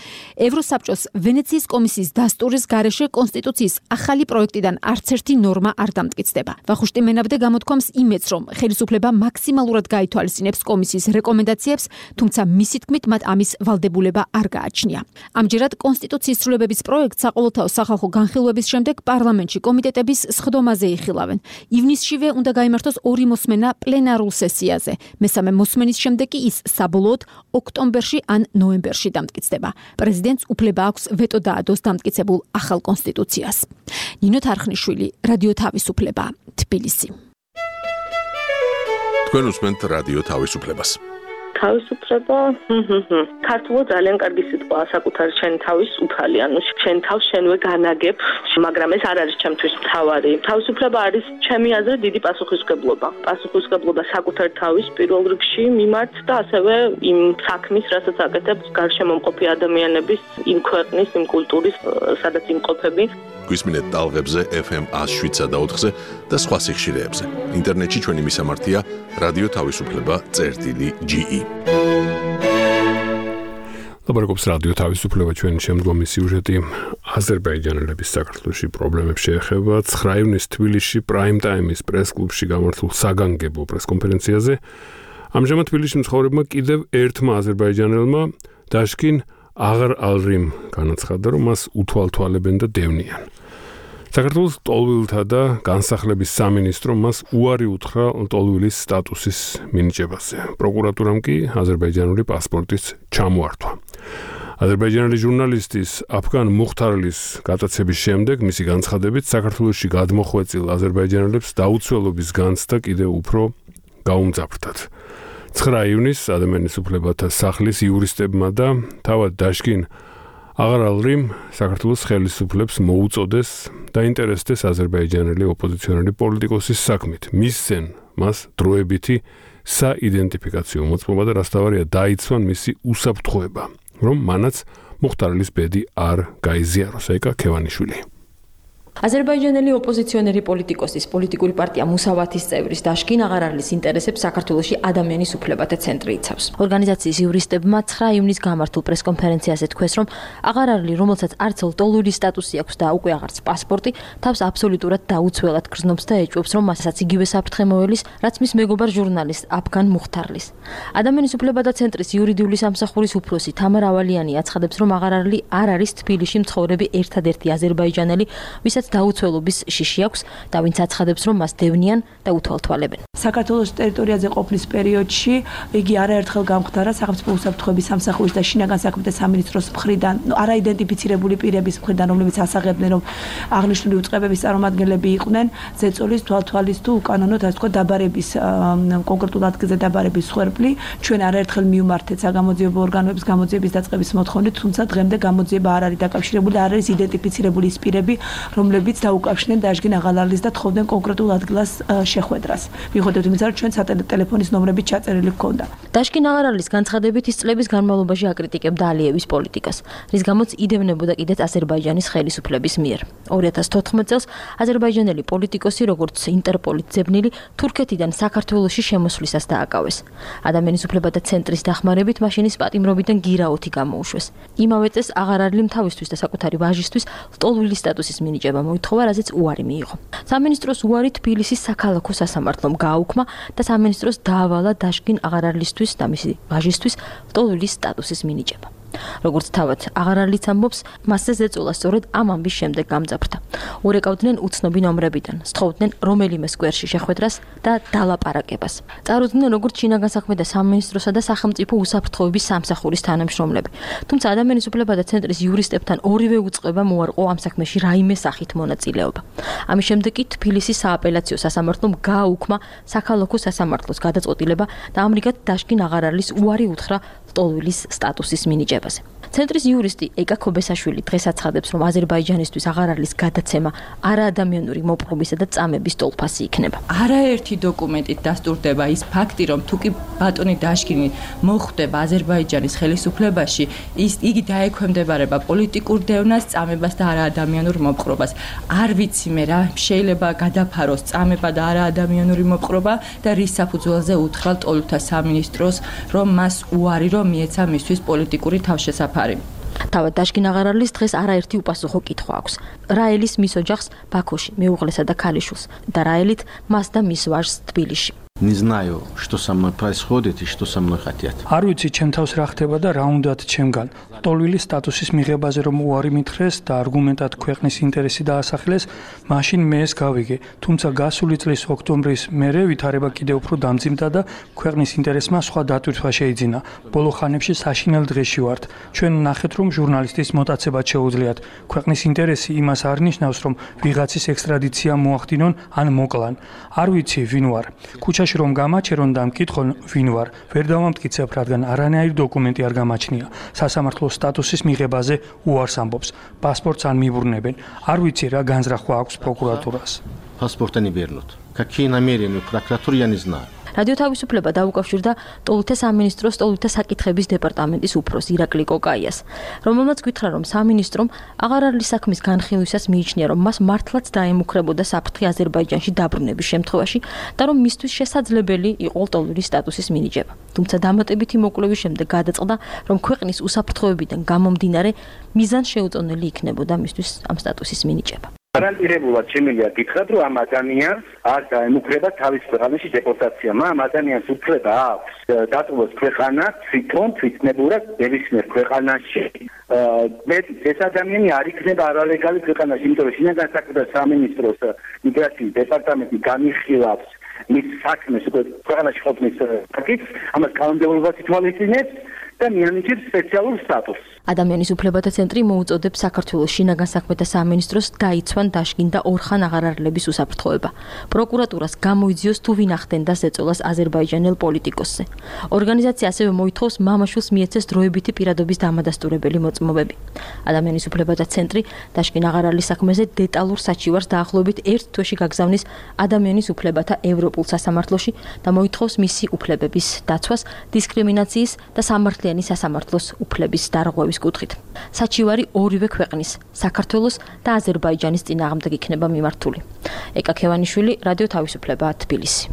ევროსაბჭოს ვენეციის კომისიის დასტურის გარეშე კონსტიტუციის ახალი პროექტიდან არც ერთი ნორმა არ დამტკიცდება. ვახუშტი მენაბდე გამოთქვამს იმედს, რომ ხელისუფლება მაქსიმალურად გაითვალისწინებს კომისიის რეკომენდაციებს, თუმცა მისი თქმით მათ ამის ვალდებულება არ გააჩნია. ამჯერად კონსტიტუციის ცვლილებების პროექტს საყოველთაო სახალხო განხილვების შემდეგ პარლამენტში კომიტეტების სხდომაზე იხილავენ. ივნისშივე უნდა გაიმართოს ორი მოსმენა პლენარულ სესიაზე. მესამე მოსმენის შემდეგ კი ის საბოლოოდ ოქტომბერში ან ნოემბერში დამტკიცდება. პრეზიდენტს უფლება აქვს ვეტო დაადოს დამტკიცებულ ახალ კონსტიტუციას. ნინო თარხნიშვილი, რადიო თავისუფლება, თბილისი. თქვენ უსმენთ რადიო თავისუფლებას. თავისუფლება, ქართულად ძალიან კარგი სიტყვაა, საკუთარი შენი თავის უფალი, ანუ შენ თავს შენვე განაგებ, მაგრამ ეს არ არის ჩემთვის მთავარი. თავისუფლება არის ჩემი აზრით დიდი პასუხისმგებლობა. პასუხისმგებლობა საკუთარ თავის პირველ რიგში მიმართ და ასევე იმ საქმის, რასაც აკეთებს გარშემო მყოფი ადამიანების, იმ ქვეყნის, იმ კულტურის, სადაც იმყოფები. გვისმინეთ ტალღებზე ეფ ემ ათს შვიდსა და ოთხზე და სხვა სიხშირეებზე. ინტერნეტში ჩვენი მისამართია რადიო თავისუფლება წერტილი ჯი ი. ლაპარაკობს რადიო თავისუფლება, ჩვენი შემდგომი სიუჟეტი აზერბაიჯანელების საქართველოში პრობლემებს შეეხება. ცხრა ივნისს თბილისში პრაიმ ტაიმის პრეს-კლუბში გამართულ საგანგებო პრეს-კონფერენციაზე ამჟამად თბილისში მცხოვრებმა კიდევ ერთმა აზერბაიჯანელმა დაშკინ აღარ ალრიმ განაცხადა, რომ მას უთვალთვალებენ და დევნიან. საქართველოს ლტოლვილთა და განსახლების სამინისტრომ მას უარი უთხრა ლტოლვილის სტატუსის მინიჭებაზე. პროკურატურამ კი აზერბაიჯანული პასპორტის ჩამოართვა. აზერბაიჯანელი ჟურნალისტის აფგან მუხთარლის გატაცების შემდეგ მისი განცხადებით საქართველოში გადმოხვეწილ აზერბაიჯანელებს დაუცველობის განცდა კიდევ უფრო გაუმძაფრდათ. ცხრა ივნისს ადამიანის უფლებათა სახლის იურისტებმა და თავად დაშკინ აღარალრიმ საქართველოს ხელისუფლებს მოუწოდეს დაინტერესდეს აზერბაიჯანელი ოპოზიციონერი პოლიტიკოსის საქმით. მისცენ მას დროებითი საიდენტიფიკაციო მოწმობა და რასთავარია დაიცვან მისი უსაფრთხოება, რომ მანაც მუხთარლის ბედი არ გაიზიაროს. ეკა ქევანიშვილი. აზერბაიჯანელი ოპოზიციონერი პოლიტიკოსის პოლიტიკური პარტია მუსავათის წევრის დაშკინ აღარალის ინტერესებს საქართველოში ადამიანის უფლებათა ცენტრი იცავს. ორგანიზაციის იურისტებმა ცხრა ივნისს გამართულ პრესკონფერენციაზე თქვეს, რომ აღარალი, რომელსაც არც ლტოლვილი სტატუსი აქვს და უკვე აღარც პასპორტი, თავს აბსოლუტურად დაუცველად გრძნობს და ეჭვობს, რომ მასაც იგივე საფრთხე მოელის, რაც მის მეგობარ ჟურნალისტ აფგან მუხთარლის. ადამიანის უფლებათა ცენტრის იურიდიული სამსახურის უფროსი თამარ ავალიანი აცხადებს, რომ აღარალი არ არის თბილისში მცხოვრები ერთადერთი აზერბაიჯანელი, ვისაც ვისაც დაუცველობის შიში აქვს და ვინც აცხადებს, რომ მას დევნიან და უთვალთვალებენ. საქართველოს ტერიტორიაზე ყოფნის პერიოდში იგი არაერთხელ გამხდარა სახელმწიფო უსაფრთხოების სამსახურის და შინაგან საქმეთა სამინისტროს მხრიდან არაიდენტიფიცირებული პირების მხრიდან, რომლებიც ასაღებდნენ, რომ აღნიშნული უწყებების წარმომადგენლები იყვნენ ზეწოლის, თვალთვალის თუ უკანონოდ ასე თქვა დაბარების კონკრეტულ ადგილზე დაბარების სხვერპლი. ჩვენ არაერთხელ მივმართეთ საგამოძიებო ორგანოების გამოძიების დაწყების მოთხოვნით, თუმცა დღემდე გამოძიება არ არის დაკავშირებული, არ არის იდენტიფიცირებული ის პირები, რომლებიც დაუკავშირდნენ დაშგინ აღალარლის და თხოვდნენ კონკრეტულ ადგილას შეხვედრას. მიუხედავად იმისა, რომ ჩვენ სატელეფონის ნომრებით ჩაწერილი ჰქონდა. დაშგინ აღალარლის განცხადებით ის წლების განმავლობაში აკრიტიკებდა ალიევის პოლიტიკას, რის გამოც იდევნებოდა კიდეც აზერბაიჯანის ხელისუფლების მიერ. ორი ათას თოთხმეტ წელს აზერბაიჯანელი პოლიტიკოსი, როგორც ინტერპოლის ძებნილი, თურქეთიდან საქართველოში შემოსვლისას დააკავეს. ადამიანის უფლებათა ცენტრის დახმარებით მაშინის პატიმრობიდან გირაოთი გამოუშვეს. იმავე წელს აღარარლიმ თავისთვის და საკუთარი ვაჟისთვის ლტოლვილი სტატუსის მინიჭება მოითხოვა, რაზეც უარი მიიღო. სამინისტროს უარი თბილისის საქალაქო სასამართლომ გააუქმა და სამინისტროს დაავალა დაშგინ აღარარლისთვის და მისი ვაჟისთვის ლტოლვილის სტატუსის მინიჭება. როგორც თავად აღარარლიც ამბობს, მასზე ზეწოლა სწორედ ამ ამბის შემდეგ გამძაფრდა. ურეკავდნენ უცნობი ნომრებიდან, სთხოვდნენ რომელიმე სკვერში შეხვედრას და დალაპარაკებას. წარუდგნენ როგორც შინაგან საქმეთა სამინისტროსა და სახელმწიფო უსაფრთხოების სამსახურის თანამშრომლები. თუმცა ადამიანის უფლებათა ცენტრის იურისტებთან ორივე უწყებამ უარყო ამ საქმეში რაიმე სახით მონაწილეობა. ამის შემდეგ კი თბილისის სააპელაციო სასამართლომ გააუქმა საქალაქო სასამართლოს გადაწყვეტილება და ამრიგად დაშგინ აღარარლის უარი უთხრა ლტოლვილის სტატუსის მინიჭებაზე. ცენტრის იურისტი ეკა ქობესაშვილი დღეს აცხადებს, რომ აზერბაიჯანისთვის აღარარლის გადაცემა არაადამიანური მოპყრობისა და წამების ტოლფასი იქნება. არაერთი დოკუმენტით დასტურდება ის ფაქტი, რომ თუ კი ბატონი დაშგინი მოხვდება აზერბაიჯანის ხელისუფლებაში, ის იგი დაექვემდებარება პოლიტიკურ დევნას, წამებას და არაადამიანურ მოპყრობას. არ ვიცი მე რა შეიძლება გადაფაროს წამება და არაადამიანური მოპყრობა და რის საფუძველზე უთხრა ლტოლვილთა სამინისტროს, რომ მას უარი რომ მიეცა მისთვის პოლიტიკური თავშესაფარი. თავად დაშგინ აღარარლის დღეს არაერთი უპასუხო კითხვა აქვს. რაელის მის ოჯახს ბაქოში, მეუღლესა და ქალიშვილს და რაელით მას და მის ვაჟს თბილისში. Не знаю, что со мной происходит и что со мной хотят. არ ვიცი ჩემ თავს რა ხდება და რა უნდათ ჩემგან. ლტოლვილის სტატუსის მიღებაზე რომ უარი მითხრეს და არგუმენტად ქვეყნის ინტერესი დაასახელეს, მაშინ მე ეს გავიგე. თუმცა გასული წლის ოქტომბრის მერე ვითარება კიდევ უფრო დამძიმდა და ქვეყნის ინტერესმა სხვა დატვირთვა შეიძინა. ბოლო ხანებში საშინელ დღეში ვართ. ჩვენ ნახეთ რომ ჟურნალისტის მოტაცებაც შეუძლიათ. ქვეყნის ინტერესი იმას არ ნიშნავს რომ ვიღაცის ექსტრადიცია მოახდინონ ან მოკლან. არ ვიცი ვინ ვარ. ქუჩაში რომ გამაჩერონ და მკითხონ ვინ ვარ, ვერ დავამტკიცებ, რადგან არანაირი დოკუმენტი არ გამაჩნია. სასამართლოს სტატუსის მიღებაზე უარს ამბობს. პასპორტს არ მიბრუნებენ. არ ვიცი რა განზრახვა აქვს პროკურატურას. Паспорта не вернут. Какие намерения у прокуратуры, я не знаю. რადიო თავისუფლება დაუკავშირდა ლტოლვილთა სამინისტროს ლტოლვილთა საკითხების დეპარტამენტის უფროს ირაკლი კოკაიას, რომელმაც გითხრა, რომ სამინისტრომ აღარარლის საქმის განხილვისას მიიჩნია, რომ მას მართლაც დაემუქრებოდა საფრთხე აზერბაიჯანში დაბრუნების შემთხვევაში და რომ მისთვის შესაძლებელი იყო ლტოლვილის სტატუსის მინიჭება. თუმცა დამატებითი მოკვლევის შემდეგ გადაწყდა, რომ ქვეყნის უსაფრთხოებიდან გამომდინარე მიზანშეუწონელი იქნებოდა მისთვის ამ სტატუსის მინიჭება. გარანტირებულად შემიძლია გითხრათ, რომ ამ ადამიანს არ დაემუქრება თავის ქვეყანაში დეპორტაცია. ამ ადამიანს უფლება აქვს დატოვოს ქვეყანა თვითონ თვითნებურად ნებისმიერ ქვეყანაში. მე ეს ადამიანი არ იქნება არალეგალი ქვეყანაში, იმიტომ რომ შინაგან საქმეთა სამინისტროს მიგრაციის დეპარტამენტი განიხილავს მის საქმეს უკვე ქვეყანაში ყოფნის საკითხს, ამას კანონმდებლობას ითვალისწინებს და მიანიჭებს სპეციალურ სტატუსს. ადამიანის უფლებათა ცენტრი მოუწოდებს საქართველოს შინაგან საქმეთა სამინისტროს დაიცვან დაშგინ და ორხან აღარარლების უსაფრთხოება. პროკურატურას გამოიძიოს თუ ვინ ახდენდა ზეწოლას აზერბაიჯანელ პოლიტიკოსზე. ორგანიზაცია ასევე მოითხოვს მამაშვილს მიეცეს დროებითი პირადობის დამადასტურებელი მოწმობები. ადამიანის უფლებათა ცენტრი დაშგინ აღარარლის საქმეზე დეტალურ საჩივარს დაახლოებით ერთ თვეში გაგზავნის ადამიანის უფლებათა ევროპულ სასამართლოში და მოითხოვს მისი უფლებების დაცვას, დისკრიმინაციის და სამართლიანი სასამართლოს უფლების დარღვევის კუთხით. საჩივარი ორივე ქვეყნის, საქართველოს და აზერბაიჯანის წინააღმდეგ იქნება მიმართული. ეკა ქევანიშვილი, რადიო თავისუფლება, თბილისი.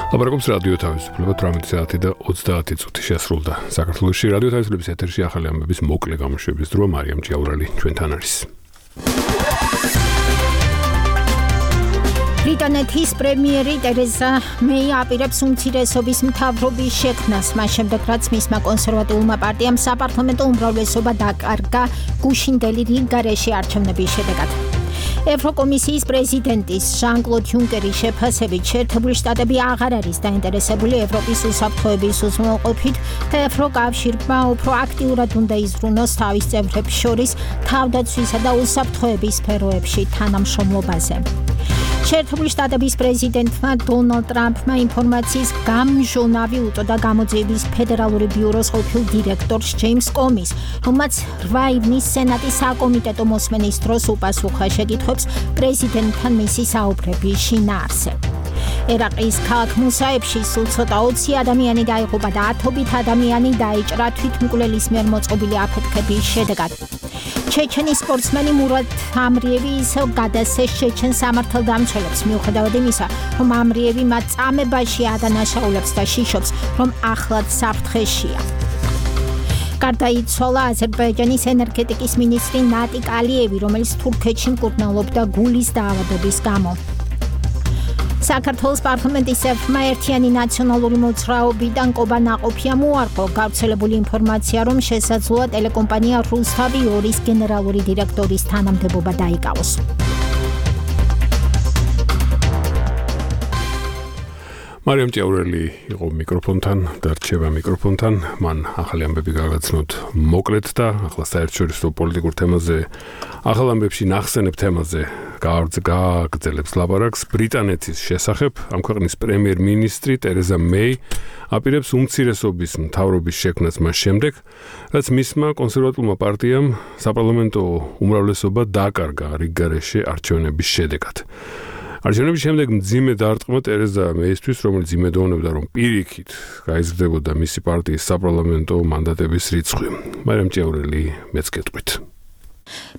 ლაპარაკობს რადიო თავისუფლება თვრამეტი საათი და ოცდაათი წუთი შესრულდა. საქართველოში რადიო თავისუფლების ეთერში ახალი ამბების მოკლე გამოშვების დრო მარიამ ჭიაურელი ჩვენთან არის. ბრიტანეთის პრემიერი ტერეზა მეი აპირებს უმცირესობის მთავრობის შექმნას, მას შემდეგ რაც მისმა კონსერვატიულმა პარტიამ საპარლამენტო უმრავლესობა დაკარგა გუშინდელი რიგგარეშე არჩევნების შედეგად. ევროკომისიის პრეზიდენტის ჟან-კლოდ იუნკერის შეფასებით შეერთებული შტატები აღარ არის დაინტერესებული ევროპის უსაფრთხოების უზრუნველყოფით და ევროკავშირმა უფრო აქტიურად უნდა იზრუნოს თავის წევრებს შორის თავდაცვისა და უსაფრთხოების სფეროებში თანამშრომლობაზე. შეერთებული შტატების პრეზიდენტმა დონალდ ტრამპმა ინფორმაციის გამჟონავი უწოდა გამოძიების ფედერალური ბიუროს ყოფილ დირექტორს ჯეიმს კომის, რომელმაც რვა ივნის სენატის საკომიტეტო მოსმენის დროს უპასუხა შეკითხვებს პრეზიდენტთან მისი საუბრების შინაარსზე. ერაყის ქალაქ მუსაებში სულ ცოტა ოცი ადამიანი დაიღუპა და ათობით ადამიანი დაიჭრა თვითმკვლელის მიერ მოწყობილი აფეთქების შედეგად. ჩეჩენის სპორტსმენი მურად ამრიევი ისევ გადასცეს ჩეჩენ სამართალდამცველებს, მიუხედავად იმისა, რომ ამრიევი მათ წამებაში ადანაშაულებს და შიშობს, რომ ახლად საფრთხეშია. გარდაიცვალა აზერბაიჯანის ენერგეტიკის მინისტრი ნატიკ ალიევი, რომელიც თურქეთში მკურნალობდა გულის დაავადების გამო. საქართველოს პარლამენტის ერთმა ერთიანი ნაციონალური მოძრაობიდან კობა ნაყოფია მოარყო გავრცელებული ინფორმაცია, რომ შესაძლოა ტელეკომპანია რუსთავი ორის გენერალური დირექტორის თანამდებობა დაიკავოს. მარიამ ჭიაურელი იყო მიკროფონთან და რჩება მიკროფონთან. მან ახალი ამბები გაგაცნოთ მოკლედ და ახლა საერთაშორისო პოლიტიკურ თემაზე, ახალ ამბებში ნახსენებ თემაზე გააგრძელებს ლაპარაკს ბრიტანეთის შესახებ. ამ ქვეყნის პრემიერ-მინისტრი ტერეზა მეი აპირებს უმცირესობის მთავრობის შექმნას მას შემდეგ, რაც მისმა კონსერვატიულმა პარტიამ საპარლამენტო უმრავლესობა დაკარგა რიგგარეშე არჩევნების შედეგად. არჩევნების შემდეგ მძიმე დარტყმა ტერეზა მეისთვის, რომელიც იმედოვნებდა, რომ პირიქით გაიზრდებოდა მისი პარტიის საპარლამენტო მანდატების რიცხვი. მარიამ ჭიაურელი მეც გეტყვით.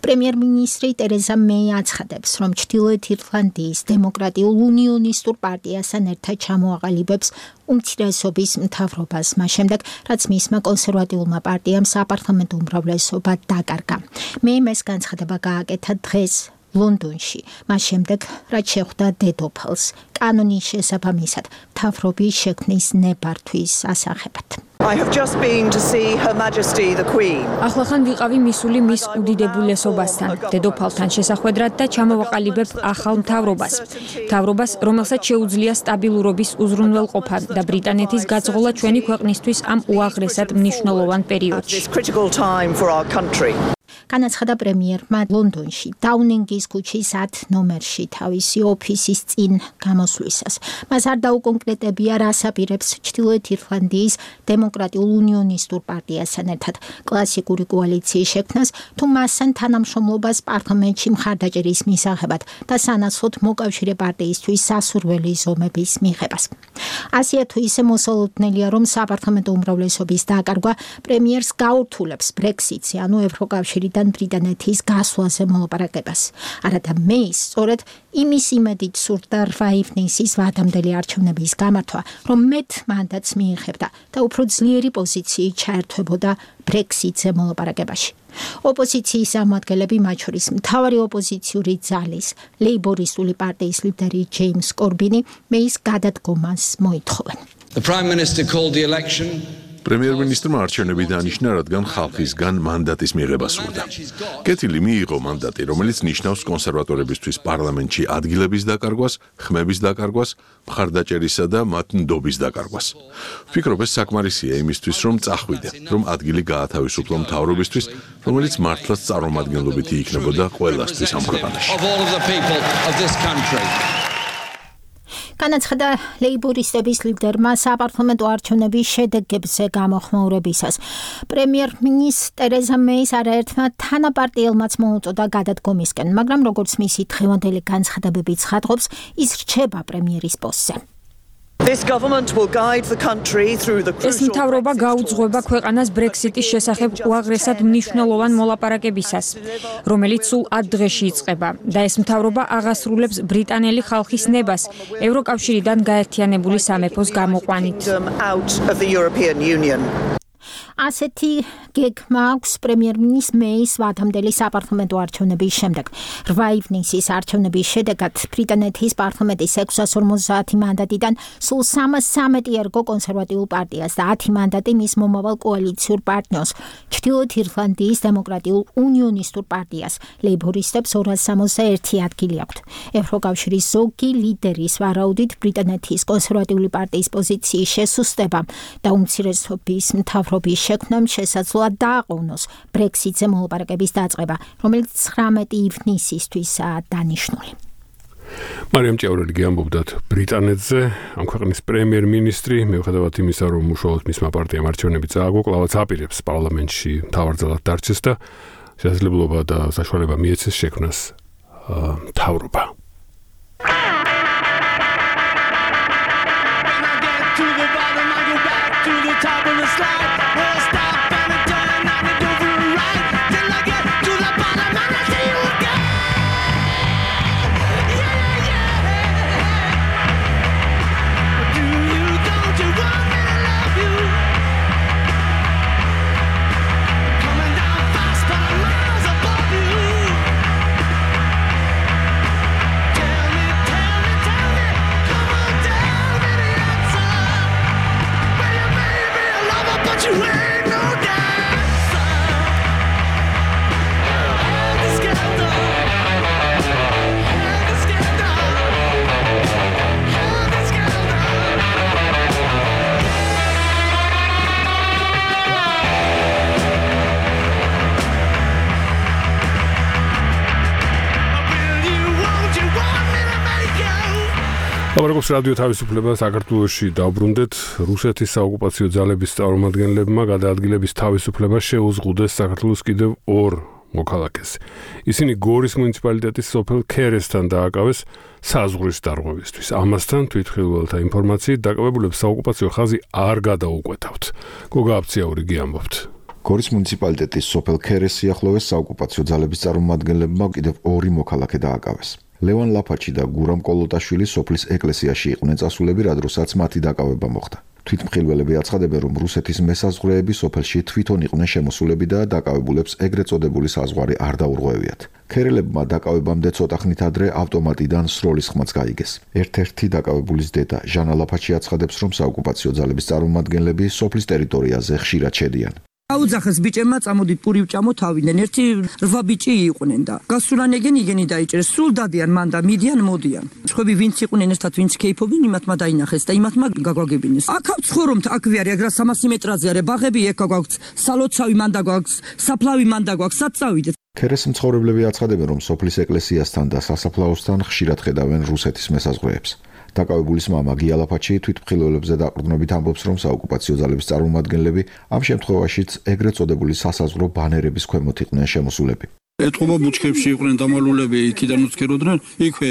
პრემიერ-მინისტრი ტერეზა მეი აცხადებს, რომ ჩრდილოეთ ირლანდიის დემოკრატიულ უნიონისტურ პარტიასთან ერთად ჩამოაყალიბებს უმცირესობის მთავრობას, მას შემდეგ, რაც მისმა კონსერვატიულმა პარტიამ საპარლამენტო უმრავლესობა დაკარგა. მეიმ ეს განცხადება გააკეთა დღეს ლონდონში, მას შემდეგ, რაც შეხვდა დედოფალს კანონის შესაბამისად მთავრობის შექმნის ნებართვის ასახებად. I have just been to see Her Majesty the Queen. ახლახან ვიყავი მისული მის უდიდებულესობასთან, დედოფალთან შესახვედრად და ჩამოვაყალიბებ ახალ მთავრობას. მთავრობას, რომელსაც შეუძლია სტაბილურობის უზრუნველყოფა და ბრიტანეთის გაწღოლა ჩვენი ქვეყნისთვის ამ უაღრესად მნიშვნელოვან პერიოდში. განაცხადა პრემიერმა ლონდონში დაუნინგის ქუჩის ათ ნომერში თავისი ოფისის წინ გამოსვლისას. მას არ დაუკონკრეტებია, რას აპირებს ჩრდილოეთ ირლანდიის დემოკრატიულ უნიონისტურ პარტიასთან ერთად კლასიკური კოალიციის შექმნას, თუ მასთან თანამშრომლობას პარლამენტში მხარდაჭერის მისაღებად და სანაცვლოდ მოკავშირე პარტიისთვის სასურველი ზომების მიღებას. ასეა თუ ისე მოსალოდნელია, რომ საპარლამენტო უმრავლესობის დაკარგვა პრემიერს გაურთულებს ბრექსიტზე, ანუ ევროკავშირიდან ბრიტანეთის გასვლაზე მოლაპარაკებას. არადა მეის სწორედ იმის იმედით სურდა რვა ივნისის ვადამდელი არჩევნების გამართვა, რომ მეტ მანდატს მიიღებდა და უფრო ძლიერი პოზიციით ჩაერთვებოდა ბრექსიტზე მოლაპარაკებაში. ოპოზიციის წარმომადგენლები, მათ შორის მთავარი ოპოზიციური ძალის ლეიბორისტული პარტიის ლიდერი ჯეიმს კორბინი მეის გადადგომას მოითხოვენ. The Prime Minister called the election პრემიერ-მინისტრმა არჩევნები დანიშნა, რადგან ხალხისგან მანდატის მიღება სურდა. კეთილი მიიღო მანდატი, რომელიც ნიშნავს კონსერვატორებისთვის პარლამენტში ადგილების დაკარგვას, ხმების დაკარგვას, მხარდაჭერისა და მათ ნდობის დაკარგვას. ვფიქრობ, ეს საკმარისია იმისთვის, რომ წახვიდე, რომ ადგილი გაათავისუფლო მთავრობისთვის, რომელიც მართლაც წარმომადგენლობითი იქნებოდა ყველასთვის ამ ქვეყანაში. განაცხადა ლეიბორისტების ლიდერმა საპარლამენტო არჩევნების შედეგებზე გამოხმაურებისას. პრემიერ-მინისტრი ტერეზა მეის არაერთმა თანაპარტიელმაც მოუწოდა გადადგომისკენ, მაგრამ როგორც მისი დღევანდელი განცხადებები ცხადყოფს, ის რჩება პრემიერის პოსტზე. This government will guide the country through the ეს მთავრობა გაუძღვება ქვეყანას Brexit-ის შესახებ უაღრესად მნიშვნელოვან მოლაპარაკებისას, რომელიც სულ ათ დღეში იწყება და ეს მთავრობა აღასრულებს ბრიტანელი ხალხის ნებას ევროკავშირიდან გაერთიანებული სამეფოს გამოყვანით. ასეთი გეგმა აქვს პრემიერ-მინისტრის მეის ვადამდელი საპარლამენტო არჩევნების შემდეგ. რვა ივნისის არჩევნების შედეგად ბრიტანეთის პარლამენტის ექვსას ორმოცდაათი მანდატიდან სულ სამას სამეტი ერგო კონსერვატიულ პარტიას და ათი მანდატი მის მომავალ კოალიციურ პარტნიორს, ჩრდილოეთ ირლანდიის დემოკრატიულ უნიონისტურ პარტიას. ლეიბორისტებს ორას სამოცდაერთი ადგილი აქვთ. ევროკავშირის ზოგი ლიდერის ვარაუდით ბრიტანეთის კონსერვატიული პარტიის პოზიციის შესუსტება და უმცირესობის მთავრობის შექმნამ შესაძლოა დააყოვნოს Brexit-ზე მოლაპარაკების დაწყება, რომელიც ცხრამეტი ივნისისთვისაა დანიშნული. მარიამ ჭიაურელი ამბობდათ ბრიტანეთზე, ამ ქვეყნის პრემიერ-მინისტრი, მიუხედავად იმისა, რომ უშუალოდ მისმა პარტიამ არჩევნები წააგო, კვლავაც აპირებს პარლამენტში მთავარძალად დარჩეს და შესაძლებლობა და საშუალება მიეცეს შექმნას მთავრობა. ამრიგოს რადიო თავისუფლება საქართველოში დაუბრუნდეთ. რუსეთის საოკუპაციო ძალების წარმომადგენლებმა გადაადგილების თავისუფლება შეუზღუდეს საქართველოს კიდევ ორ მოქალაქეს. ისინი გორის მუნიციპალიტეტის სოფელ ქერესთან დააკავეს საზღვრის დარღვევისთვის. ამასთან თვითმხილველთა ინფორმაციით დაკავებულებს საოკუპაციო ხაზი არ გადაუკვეთავთ. გოგა აფციაური გიამბობთ. გორის მუნიციპალიტეტის სოფელ ქერეს სიახლოვეს საოკუპაციო ძალების წარმომადგენლებმა კიდევ ორი მოქალაქე დააკავეს. ლევან ლაფაჩი და გურამ კოლოტაშვილი სოფლის ეკლესიაში იყვნენ წასულები, რადგანაც მათი დაკავება მოხდა. თვითმხილველები აცხადებენ, რომ რუსეთის მესაზღვრეები სოფელში თვითონ იყვნენ შემოსულები და დაკავებულებს ეგრეთ წოდებული საზღვარი არ დაურღვევიათ. ქერელებმა დაკავებამდე ცოტა ხნით ადრე ავტომატიდან სროლის ხმაც გაიგეს. ერთ-ერთი დაკავებულის დედა ჟანა ლაფაჩი აცხადებს, რომ საოკუპაციო ძალების წარმომადგენლები სოფლის ტერიტორიაზე ხშირად შედიან. აუძახეს ბიჭებმა წამოდით პური ვჭამო თავიდან. ერთი რვა ბიჭი იყვნენ და გასულან ეგენ იგენი დაიჭერეს. სულ დადიან მან და მიდიან მოდიან. სხვები ვინც იყვნენ ერთად ვინც კეიფობენ იმათმა დაინახეს და იმათმა გაგვაგებინეს. აქ აქვს ხორომთ აქ ვიარი აგრა სამასი მეტრაზე არის ბაღები ეკა გვაქვს სალოცავი მან და გვაქვს საფლავი მან და გვაქვს საწავიდეთ. ქერეს მცხოვრებლები აცხადებენ, რომ სოფლის ეკლესიასთან და სასაფლაოსთან ხშირად ხედავენ რუსეთის მესაზღვრეებს. დაკავებულის მამა გიალაფაჩი თვითმხილველებზე დაყრდნობით ამბობს, რომ საოკუპაციო ძალების წარმომადგენლები ამ შემთხვევაშიც ეგრეთ წოდებული სასაზღვრო ბანერების ქვემოთ იყვნენ შემოსულები. ეთყობა ბუჩქებში იყვნენ დამალულები, იქიდან უცქეროდნენ, იქვე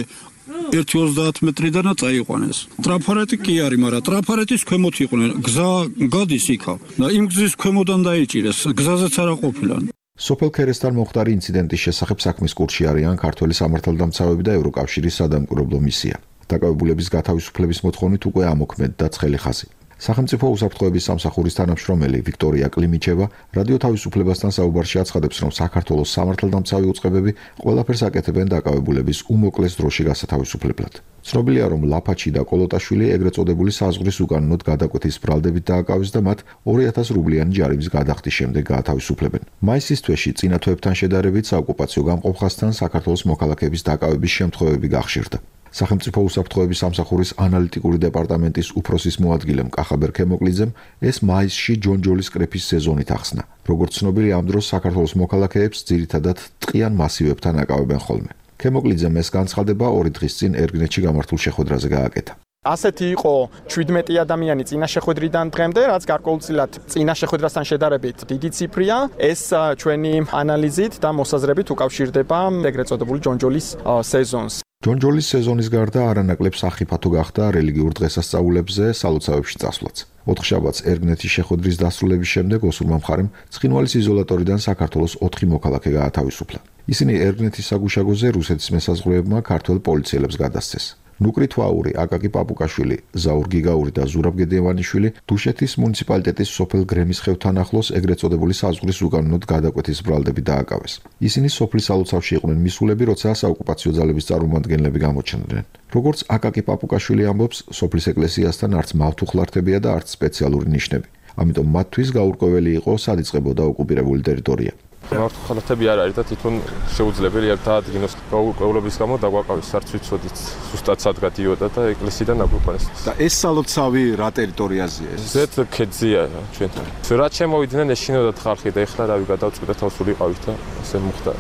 ერთი ოცდაათი მეტრიდანაც წაიყვანეს. ტრაფარეტი კი არის, მაგრამ ტრაფარეტის ქვემოთ იყვნენ. გზა გადის იქა და იმ გზის ქვემოდან დაიჭირეს. გზაზეც არა ყოფილან. სოფელ ქერესთან მოხდარი ინციდენტის შესახებ საქმის კურსში არიან ქართველი სამართალდამცავები და ევროკავშირის სადამკვირვებლო მისია. დაკავებულების გათავისუფლების მოთხოვნით უკვე ამოქმედდა ცხელი ხაზი. სახელმწიფო უსაფრთხოების სამსახურის თანამშრომელი ვიქტორია კლიმიჩევა რადიო თავისუფლებასთან საუბარში აცხადებს, რომ საქართველოს სამართალდამცავი უწყებები ყველაფერს აკეთებენ დაკავებულების უმოკლეს დროში გასათავისუფლებლად. ცნობილია, რომ ლაფაჩი და კოლოტაშვილი ეგრეთ წოდებული საზღვრის უკანონოდ გადაკვეთის ბრალდებით დააკავეს და მათ ორი ათასი რუბლიანი ჯარიმის გადახდის შემდეგ გაათავისუფლებენ. მაისის თვეში წინა თვეებთან შედარებით საოკუპაციო გამყოფხასთან საქართველოს მოქალაქეების დაკავების შემთხვევები გახშირდა. სახელმწიფო უსაფრთხოების სამსახურის ანალიტიკური დეპარტამენტის უფროსის მოადგილემ კახაბერ ქემოკლიძემ ეს მაისში ჯონჯოლის კრეფის სეზონით ახსნა. როგორც ცნობილი, ამ დროს საქართველოს მოქალაქეებს ძირითადად ტყიან მასივებთან აკავებენ ხოლმე. ქემოკლიძემ ეს განცხადება ორი დღის წინ ერგნეთში გამართულ შეხვედრაზე გააკეთა. ასეთი იყო შვიდმეტი ადამიანი წინა შეხვედრიდან დღემდე, რაც გარკვეულწილად წინა შეხვედრასთან შედარებით დიდი ციფრია. ეს ჩვენი ანალიზით და მოსაზრებით უკავშირდება ეგრეთ წოდებული ჯონჯოლის სეზონს. ჯონჯოლის სეზონის გარდა არანაკლებ სახიფათო გახდა რელიგიურ დღესასწაულებზე სალოცავებში წასვლაც. ოთხშაბათს ერგნეთის შეხვედრის დასრულების შემდეგ ოსურმა მხარემ ცხინვალის იზოლატორიდან საქართველოს ოთხი მოქალაქე გაათავისუფლა. ისინი ერგნეთის საგუშაგოზე რუსეთის მესაზღვრეებმა ქართველ პოლიციელებს გადასცეს. ნუკრი თვაური, აკაკი პაპუკაშვილი, ზაურ გიგაური და ზურაბ გედევანიშვილი დუშეთის მუნიციპალიტეტის სოფელ გრემის ხევთან ახლოს ეგრეთ წოდებული საზღვრის უკანონოდ გადაკვეთის ბრალდები დააკავეს. ისინი სოფლის სალოცავში იყვნენ მისულები, როცა საოკუპაციო ძალების წარმომადგენლები გამოჩნდნენ. როგორც აკაკი პაპუკაშვილი ამბობს, სოფლის ეკლესიასთან არც მავთუხლართებია და არც სპეციალური ნიშნები. ამიტომ მათთვის გაურკვეველი იყო სად იწყებოდა ოკუპირებული ტერიტორია. მართლხალათები არ არის და თვითონ შეუძლებელი ერთ ადგინოს გაურკვევლობის გამო დაგვაყავეს არც ვიცოდით ზუსტად სად გადიოდა და ეკლესიიდან აგვიყვანეს. და ეს სალოცავი რა ტერიტორიაზეა ეს? ზეთ ქედზეა ჩვენთან. რაც შემოვიდნენ ეშინოდათ ხალხი და ეხლა რავი გადავწყვიტე თავს ვიყავით და ასე მოხდა.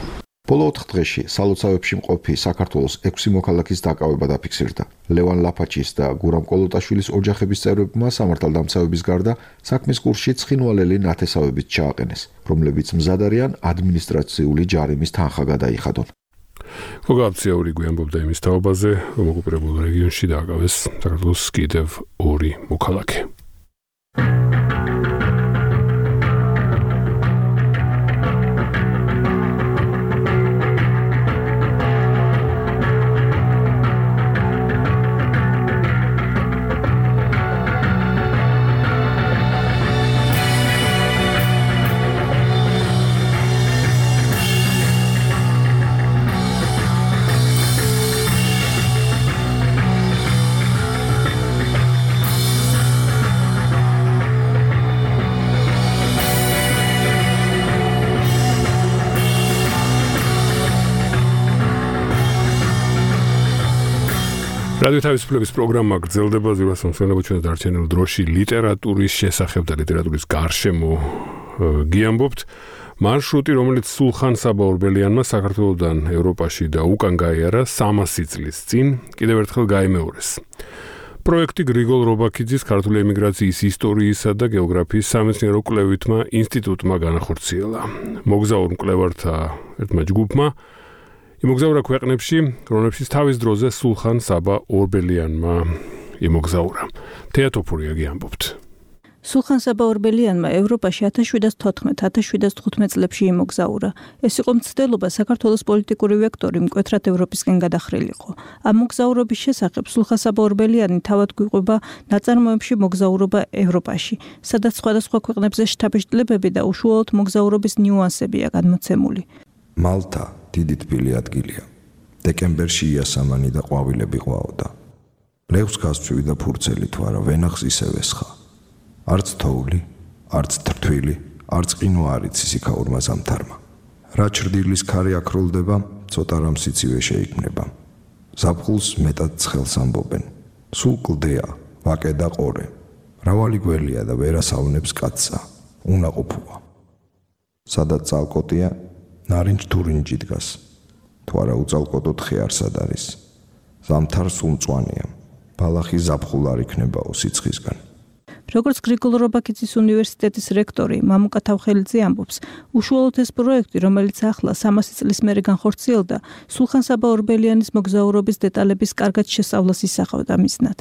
ბოლო ოთხ დღეში სალოცავებში მყოფი საქართველოს ექვსი მოქალაქის დაკავება დაფიქსირდა. ლევან ლაფაჩის და გურამ კოლოტაშვილის ოჯახების წევრებმა სამართალდამცავების გარდა საქმის კურსში ცხინვალელი ნათესავებით ჩააყენეს, რომლებიც მზად არიან ადმინისტრაციული ჯარიმის თანხა გადაიხადონ. გოგაბციური გვიანბობდა იმის თაობაზე, რომ ოკუპირებულ რეგიონში დააკავეს საქართველოს კიდევ ორი მოქალაქე. რადიო თავისუფლების პროგრამა გრძელდება ზივას მომსვენებო ჩვენს დარჩენილ დროში ლიტერატურის შესახებ და ლიტერატურის გარშემო გიამბობთ. მარშრუტი, რომელიც სულხან საბა ორბელიანმა საქართველოსდან ევროპაში და უკან გაიარა სამასი წლის წინ, კიდევ ერთხელ გაიმეორეს. პროექტი გრიგოლ რობაქიძის ქართული ემიგრაციის ისტორიისა და გეოგრაფიის სამეცნიერო კვლევითმა ინსტიტუტმა განახორციელა. მოგზაურ მკვლევართა ერთმა ჯგუფმა იმოგზაურა ქვეყნებში, რომლებშიც თავის დროზე სულხან საბა ორბელიანმა იმოგზაურა. თეატოფურია გიამბობთ. სულხან საბა ორბელიანმა ევროპაში ათას შვიდას თოთხმეტ ათას შვიდას თხუთმეტ წლებში იმოგზაურა. ეს იყო მცდელობა საქართველოს პოლიტიკური ვექტორი მკვეთრად ევროპისკენ გადახრილიყო. ამ მოგზაურობის შესახებ სულხან საბა ორბელიანი თავად გვიყვება ნაწარმოებში მოგზაურობა ევროპაში, სადაც სხვადასხვა ქვეყნებზე შთაბეჭდილებები და უშუალოდ მოგზაურობის ნიუანსებია გადმოცემული. მალტა დიდი თბილი ადგილია. დეკემბერში იასამანი და ყვავილები ყვაოდა. ლევს გასწვი და ფურცელი თუ არა ვენახს ისევ ესხა. არც თოვლი, არც თრთვილი, არც ყინო არ იცის იქაურმა ზამთარმა. რა ჩრდილის ქარი აკროლდება, ცოტა რამ სიცივე შეიქმნება. ზაფხულს მეტად ცხელს ამბობენ. სულ კლდეა, ვაკე და ყორე. მრავალი გველია და ვერასავნებს კაცსა, უნაყოფოა. სადაც წალკოტია, ნარინჯ თურინჯი დგას. თუ არა უწალკოტო თხე არსად არის. ზამთარს უმწვანეა. ბალახი ზაფხულ არ იქნებაო სიცხისგან. როგორც გრიგოლ რობაქიძის უნივერსიტეტის რექტორი მამუკა თავხელიძე ამბობს, უშუალოდ ეს პროექტი, რომელიც ახლა სამასი წლის მერე განხორციელდა, სულხან საბა ორბელიანის მოგზაურობის დეტალების კარგად შესწავლას ისახავდა მიზნად.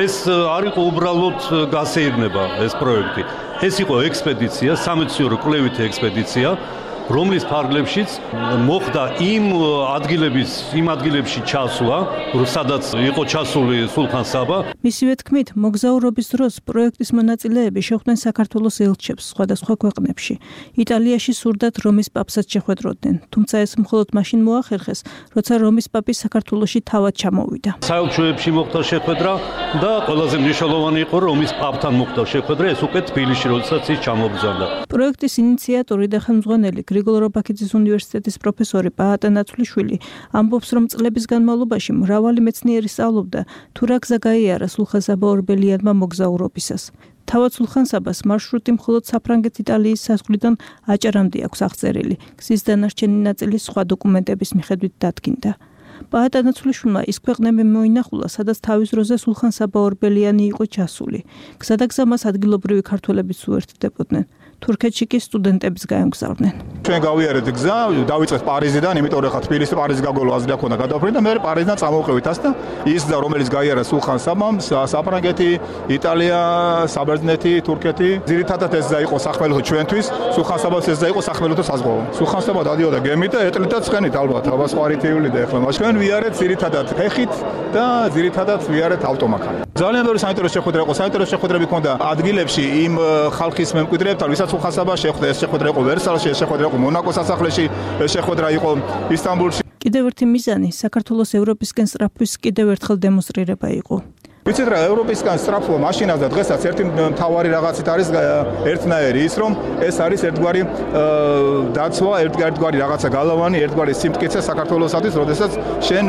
ეს არ იყო უბრალოდ გასეირნება ეს პროექტი. ეს იყო ექსპედიცია, სამეცნიერო კვლევითი ექსპედიცია, რომლის ფარგლებშიც მოხდა იმ ადგილების, იმ ადგილებში ჩასვლა, სადაც იყო ჩასული სულხან საბა. მისივე თქმით, მოგზაურობის დროს პროექტის მონაწილეები შეხვდნენ საქართველოს ელჩებს სხვადასხვა ქვეყნებში. იტალიაში სურდათ რომის პაპსაც შეხვედროდნენ, თუმცა ეს მხოლოდ მაშინ მოახერხეს, როცა რომის პაპი საქართველოში თავად ჩამოვიდა. საელჩოებში მოხდა შეხვედრა და ყველაზე მნიშვნელოვანი იყო რომის პაპთან მოხდა შეხვედრა, ეს უკვე თბილისში, როდესაც ის ჩამოგზავნა. პროექტის ინიციატორი და ხელმძღვანელი გრიგოლ რობაქიძის უნივერსიტეტის პროფესორი პაატა ნაცვლიშვილი ამბობს, რომ წლების განმავლობაში მრავალი მეცნიერი სწავლობდა თუ რა გზა გაიარა სულხან საბა ორბელიანმა მოგზაურობისას. თავად სულხან საბას მარშრუტი მხოლოდ საფრანგეთ-იტალიის საზღვრიდან აჭარამდე აქვს აღწერილი. გზის დანარჩენი ნაწილი სხვა დოკუმენტების მიხედვით დადგინდა. პაატა ნაცვლიშვილმა ის ქვეყნები მოინახულა, სადაც თავის დროზე სულხან საბა ორბელიანი იყო ჩასული. გზადაგზა მას ადგილობრივი ქართველებიც უერთდებოდნენ. თურქეთში კი სტუდენტებს გაემგზავრნენ. ჩვენ გავიარეთ გზა, დავიწყეთ პარიზიდან, იმიტომ რომ ხა თბილისი პარიზი გაგოლო აზრი აქვს და გადავფრინდა და მე პარიზიდან წამოვყევით ას და ის გზა რომელიც გაიარა სულხან საბამ, საფრანგეთი, იტალია, საბერძნეთი, თურქეთი, ძირითადად ეს გზა იყო სახმელეთო ჩვენთვის, სულხან საბას ეს გზა იყო სახმელეთო საზღვაო. სულხან საბა დადიოდა გემით და ეტლიდა ცხენით ალბათ, აბა სხვა რითიული და ეხლა ჩვენ ვიარეთ ძირითადად ფეხით და ძირითადად ვიარეთ ავტომანქანით. ძალიან ბევრი საინტერესო შეხვედრა იყო, საინტერესო შეხვედრები ჰქონდა ადგილებში იმ ხალხის მემკვიდრეებთან, ვისაც სულხან საბა შეხვდა, ეს შეხვედრა იყო ვერსალში, ეს შეხვედრა იყო მონაკოს სასახლეში, ეს შეხვედრა იყო ისტანბულში. კიდევ ერთი მიზანი საქართველოს ევროპისკენ სწრაფვის კიდევ ერთხელ დემონსტრირება იყო. ვიცით რა, ევროპისგან სწრაფვა მაშინაც და დღესაც ერთი მთავარი რაღაცით არის ერთნაირი ის, რომ ეს არის ერთგვარი დაცვა, ერთგვარი რაღაცა გალავანი, ერთგვარი სიმტკიცე საქართველოსათვის, როდესაც შენ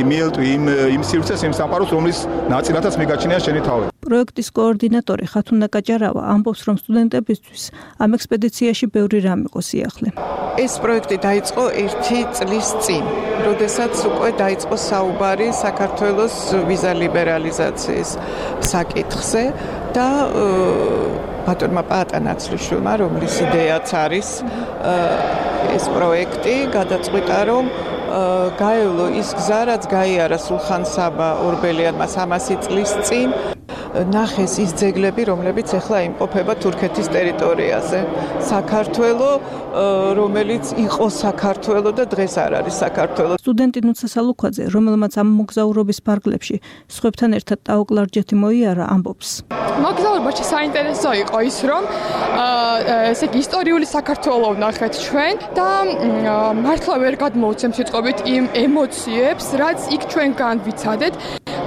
მიელტვი იმ იმ სივრცეს, იმ სამყაროს, რომლის ნაწილათაც მიგაჩნია შენი თავი. პროექტის კოორდინატორი ხათუნა კაჭარავა ამბობს, რომ სტუდენტებისთვის ამ ექსპედიციაში ბევრი რამ იყო სიახლე. ეს პროექტი დაიწყო ერთი წლის წინ, როდესაც უკვე დაიწყო საუბარი საქართველოს ვიზა ლიბერალიზაციის საკითხზე და ბატონმა პაატა ნაცვლიშვილმა, რომლის იდეაც არის ეს პროექტი, გადაწყვიტა, რომ გაევლო ის გზა, რაც გაიარა სულხან საბა ორბელიანმა სამასი წლის წინ, ნახეს ის ძეგლები, რომლებიც ახლა იმყოფება თურქეთის ტერიტორიაზე. საქართველო, რომელიც იყო საქართველო და დღეს არ არის საქართველო. სტუდენტი ნუცა სალუქვაძე, რომელმაც ამ მოგზაურობის ფარგლებში სხვებთან ერთად ტაოკლარჯეთი მოიარა, ამბობს. მოგზაურობაში საინტერესო იყო ის, რომ ესე იგი ისტორიული საქართველო ვნახეთ ჩვენ და მართლა ვერ გადმოვცემ სიტყვებით იმ ემოციებს, რაც იქ ჩვენ განვიცადეთ.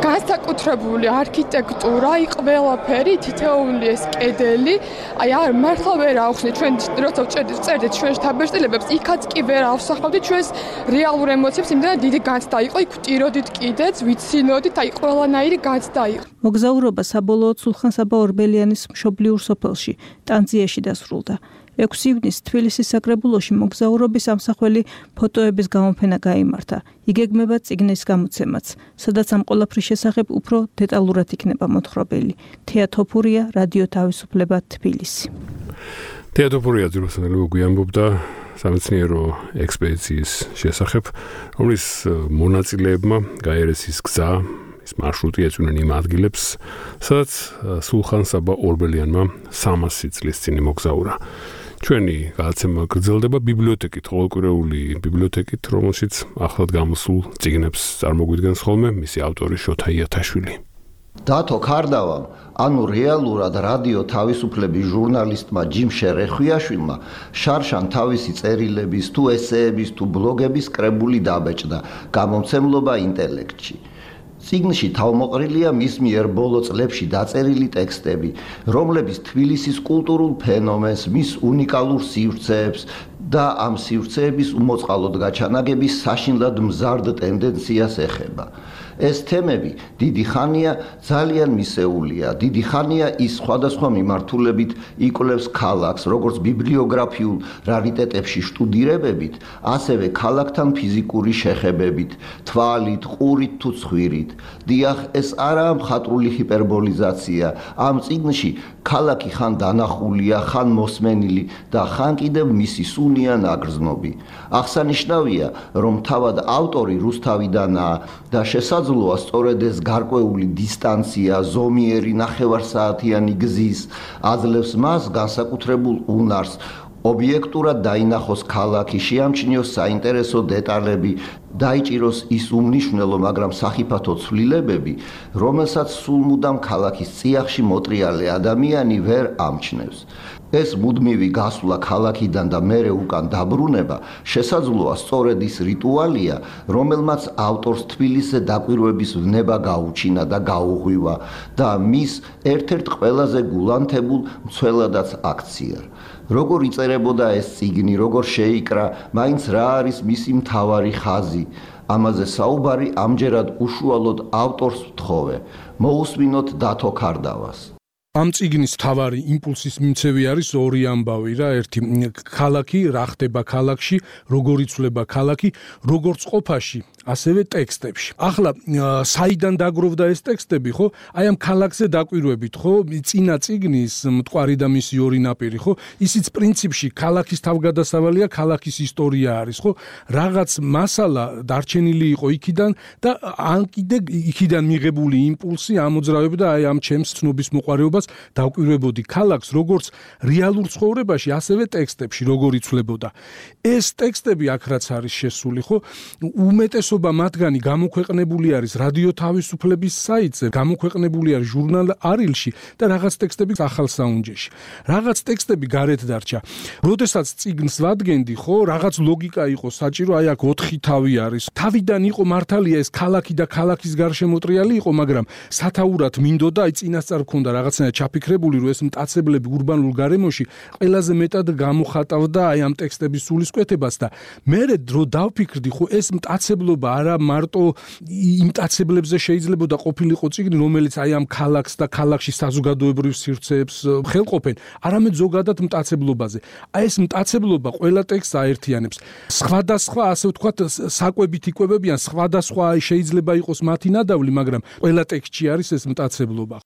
განსაკუთრებული არქიტექტურა, ყველაფერი, თითოეული ეს კედელი, აი არ მართლა ვერ ავხსნით ჩვენ როცა ვწერდით ჩვენ შთაბეჭდილებებს, იქაც კი ვერ ავსახავდით ჩვენს რეალურ ემოციებს, იმდენად დიდი განცდა იყო, იქ ვტიროდით კიდეც, ვიცინოდით, აი ყველანაირი განცდა იყო. მოგზაურობა საბოლოოდ სულხან საბა ორბელიანის მშობლიურ სოფელში, ტანძიაში დასრულდა. ექვსი ივნისს თბილისის საკრებულოში მოგზაურობის ამსახველი ფოტოების გამოფენა გაიმართა. იგეგმება წიგნის გამოცემაც, სადაც ამ ყველაფრის შესახებ უფრო დეტალურად იქნება მოთხრობილი. თეა თოფურია, რადიო თავისუფლება, თბილისი. თეა თოფურია ძიროსანელი გვიამბობდა სამეცნიერო ექსპედიციის შესახებ, რომლის მონაწილეებმა გაიარეს ის გზა, ის მარშრუტი ეწვნენ იმ ადგილებს, სადაც სულხან საბა ორბელიანმა სამასი წლის წინ მოგზაურა. ჩვენი გადაცემა გრძელდება ბიბლიოთეკით, ყოველკვირეული ბიბლიოთეკით, რომელშიც ახლად გამოსულ წიგნებს წარმოგვიდგენს ხოლმე მისი ავტორი შოთა იათაშვილი. დათო ქარდავამ, ანუ რეალურად რადიო თავისუფლების ჟურნალისტმა ჯიმ შერეხვიაშვილმა შარშან თავისი წერილების, თუ ესეების, თუ ბლოგების კრებული დაბეჭდა გამომცემლობა ინტელექტში. წიგნში თავმოყრილია მის მიერ ბოლო წლებში დაწერილი ტექსტები, რომლებიც თბილისის კულტურულ ფენომენს, მის უნიკალურ სივრცეებს და ამ სივრცეების უმოწყალოდ გაჩანაგების საშინლად მზარდ ტენდენციას ეხება. ეს თემები დიდი ხანია ძალიან მისეულია, დიდი ხანია ის სხვადასხვა მიმართულებით იკვლევს ქალაქს, როგორც ბიბლიოგრაფიულ რარიტეტებში შტუდირებებით, ასევე ქალაქთან ფიზიკური შეხებებით, თვალით, ყურით თუ ცხვირით. დიახ, ეს არაა მხატვრული ჰიპერბოლიზაცია. ამ წიგნში ქალაქი ხან დანახულია, ხან მოსმენილი და ხან კიდევ მისი სუნია ნაგრძნობი. აღსანიშნავია, რომ თავად ავტორი რუსთავიდანაა და შესაძლოა სწორედ ეს გარკვეული დისტანცია, ზომიერი ნახევარსაათიანი გზის აძლევს მას განსაკუთრებულ უნარს, ობიექტურად დაინახოს ქალაქი, შეამჩნიოს საინტერესო დეტალები, დაიჭიროს ის უმნიშვნელო, მაგრამ სახიფათო ცვლილებები, რომელსაც სულ მუდამ ქალაქის წიაღში მოტრიალე ადამიანი ვერ ამჩნევს. ეს მუდმივი გასვლა ქალაქიდან და მერე უკან დაბრუნება შესაძლოა სწორედ ის რიტუალია, რომელმაც ავტორს თბილისზე დაკვირვების ვნება გაუჩინა და გაუღვივა და მის ერთ-ერთ ყველაზე გულანთებულ მცველადაც აქცია. როგორ იწერებოდა ეს წიგნი, როგორ შეიკრა, მაინც რა არის მისი მთავარი ხაზი. ამაზე საუბარი ამჯერად უშუალოდ ავტორს ვთხოვე. მოусმინოთ დათო ქარდავას. ამ წიგნის თავარი იმპულსის მიმცევი არის ორი ამბავი რა, ერთი ქალაქი, რა ხდება ქალაქში, როგორ იცვლება ქალაქი, როგორც ყოფაში ასევე ტექსტებში. ახლა საიდან დაგროვდა ეს ტექსტები, ხო? აი ამ ქალაქზე დაკვირვებით, ხო? წინა წიგნის მტკვარი და მისი ორი ნაპირი, ხო? ისიც პრინციპში ქალაქის თავგადასავალია, ქალაქის ისტორია არის, ხო? რაღაც მასალა დარჩენილი იყო იქიდან და ან კიდე იქიდან მიღებული იმპულსი ამოძრავებდა აი ამ ჩემს ცნობის მოყვარეობას დავკვირვებოდი ქალაქს, როგორც რეალურ ცხოვრებაში, ასევე ტექსტებში, როგორ იცვლებოდა. ეს ტექსტები აქ რაც არის შესული, ხო? უმეტესობა მათგანი გამოქვეყნებული არის რადიო თავისუფლების საიტზე, გამოქვეყნებული არის ჟურნალ არილში და რაღაც ტექსტები ახალ საუნჯეში. რაღაც ტექსტები გარეთ დარჩა. როდესაც წიგნს ვადგენდი, ხო, რაღაც ლოგიკა იყო საჭირო, აი აქ ოთხი თავი არის. თავიდან იყო მართალია ეს ქალაქი და ქალაქის გარშემოტრიალი იყო, მაგრამ სათაურად მინდოდა, აი წინასწარ მქონდა რაღაცნაირად ჩაფიქრებული, რომ ეს მტაცებლები ურბანულ გარემოში ყველაზე მეტად გამოხატავდა აი ამ ტექსტების სულისკვეთებას და მე დრო დავფიქრდი, ხო, ეს მტაცებლობა არა მარტო იმ მტაცებლებზე შეიძლება და ყოფილიყო წიგნი, რომელიც აი ამ ქალაქს და ქალაქში საზოგადოებრივ სივრცეებს ხელყოფენ, არამედ ზოგადად მტაცებლობაზე. აი ეს მტაცებლობა ყველა ტექსტს აერთიანებს. სხვადასხვა, ასე ვთქვათ, საკვებით იკვებებიან, სხვადასხვა შეიძლება იყოს მათი ნადავლი, მაგრამ ყველა ტექსტში არის ეს მტაცებლობა.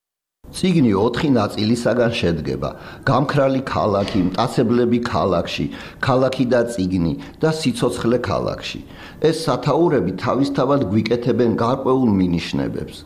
წიგნი ოთხი ნაწილისაგან შედგება: გამქრალი ქალაქი, მტაცებლები ქალაქში, ქალაქი და წიგნი და სიცოცხლე ქალაქში. ეს სათაურები თავისთავად გვიკეთებენ გარკვეულ მინიშნებებს.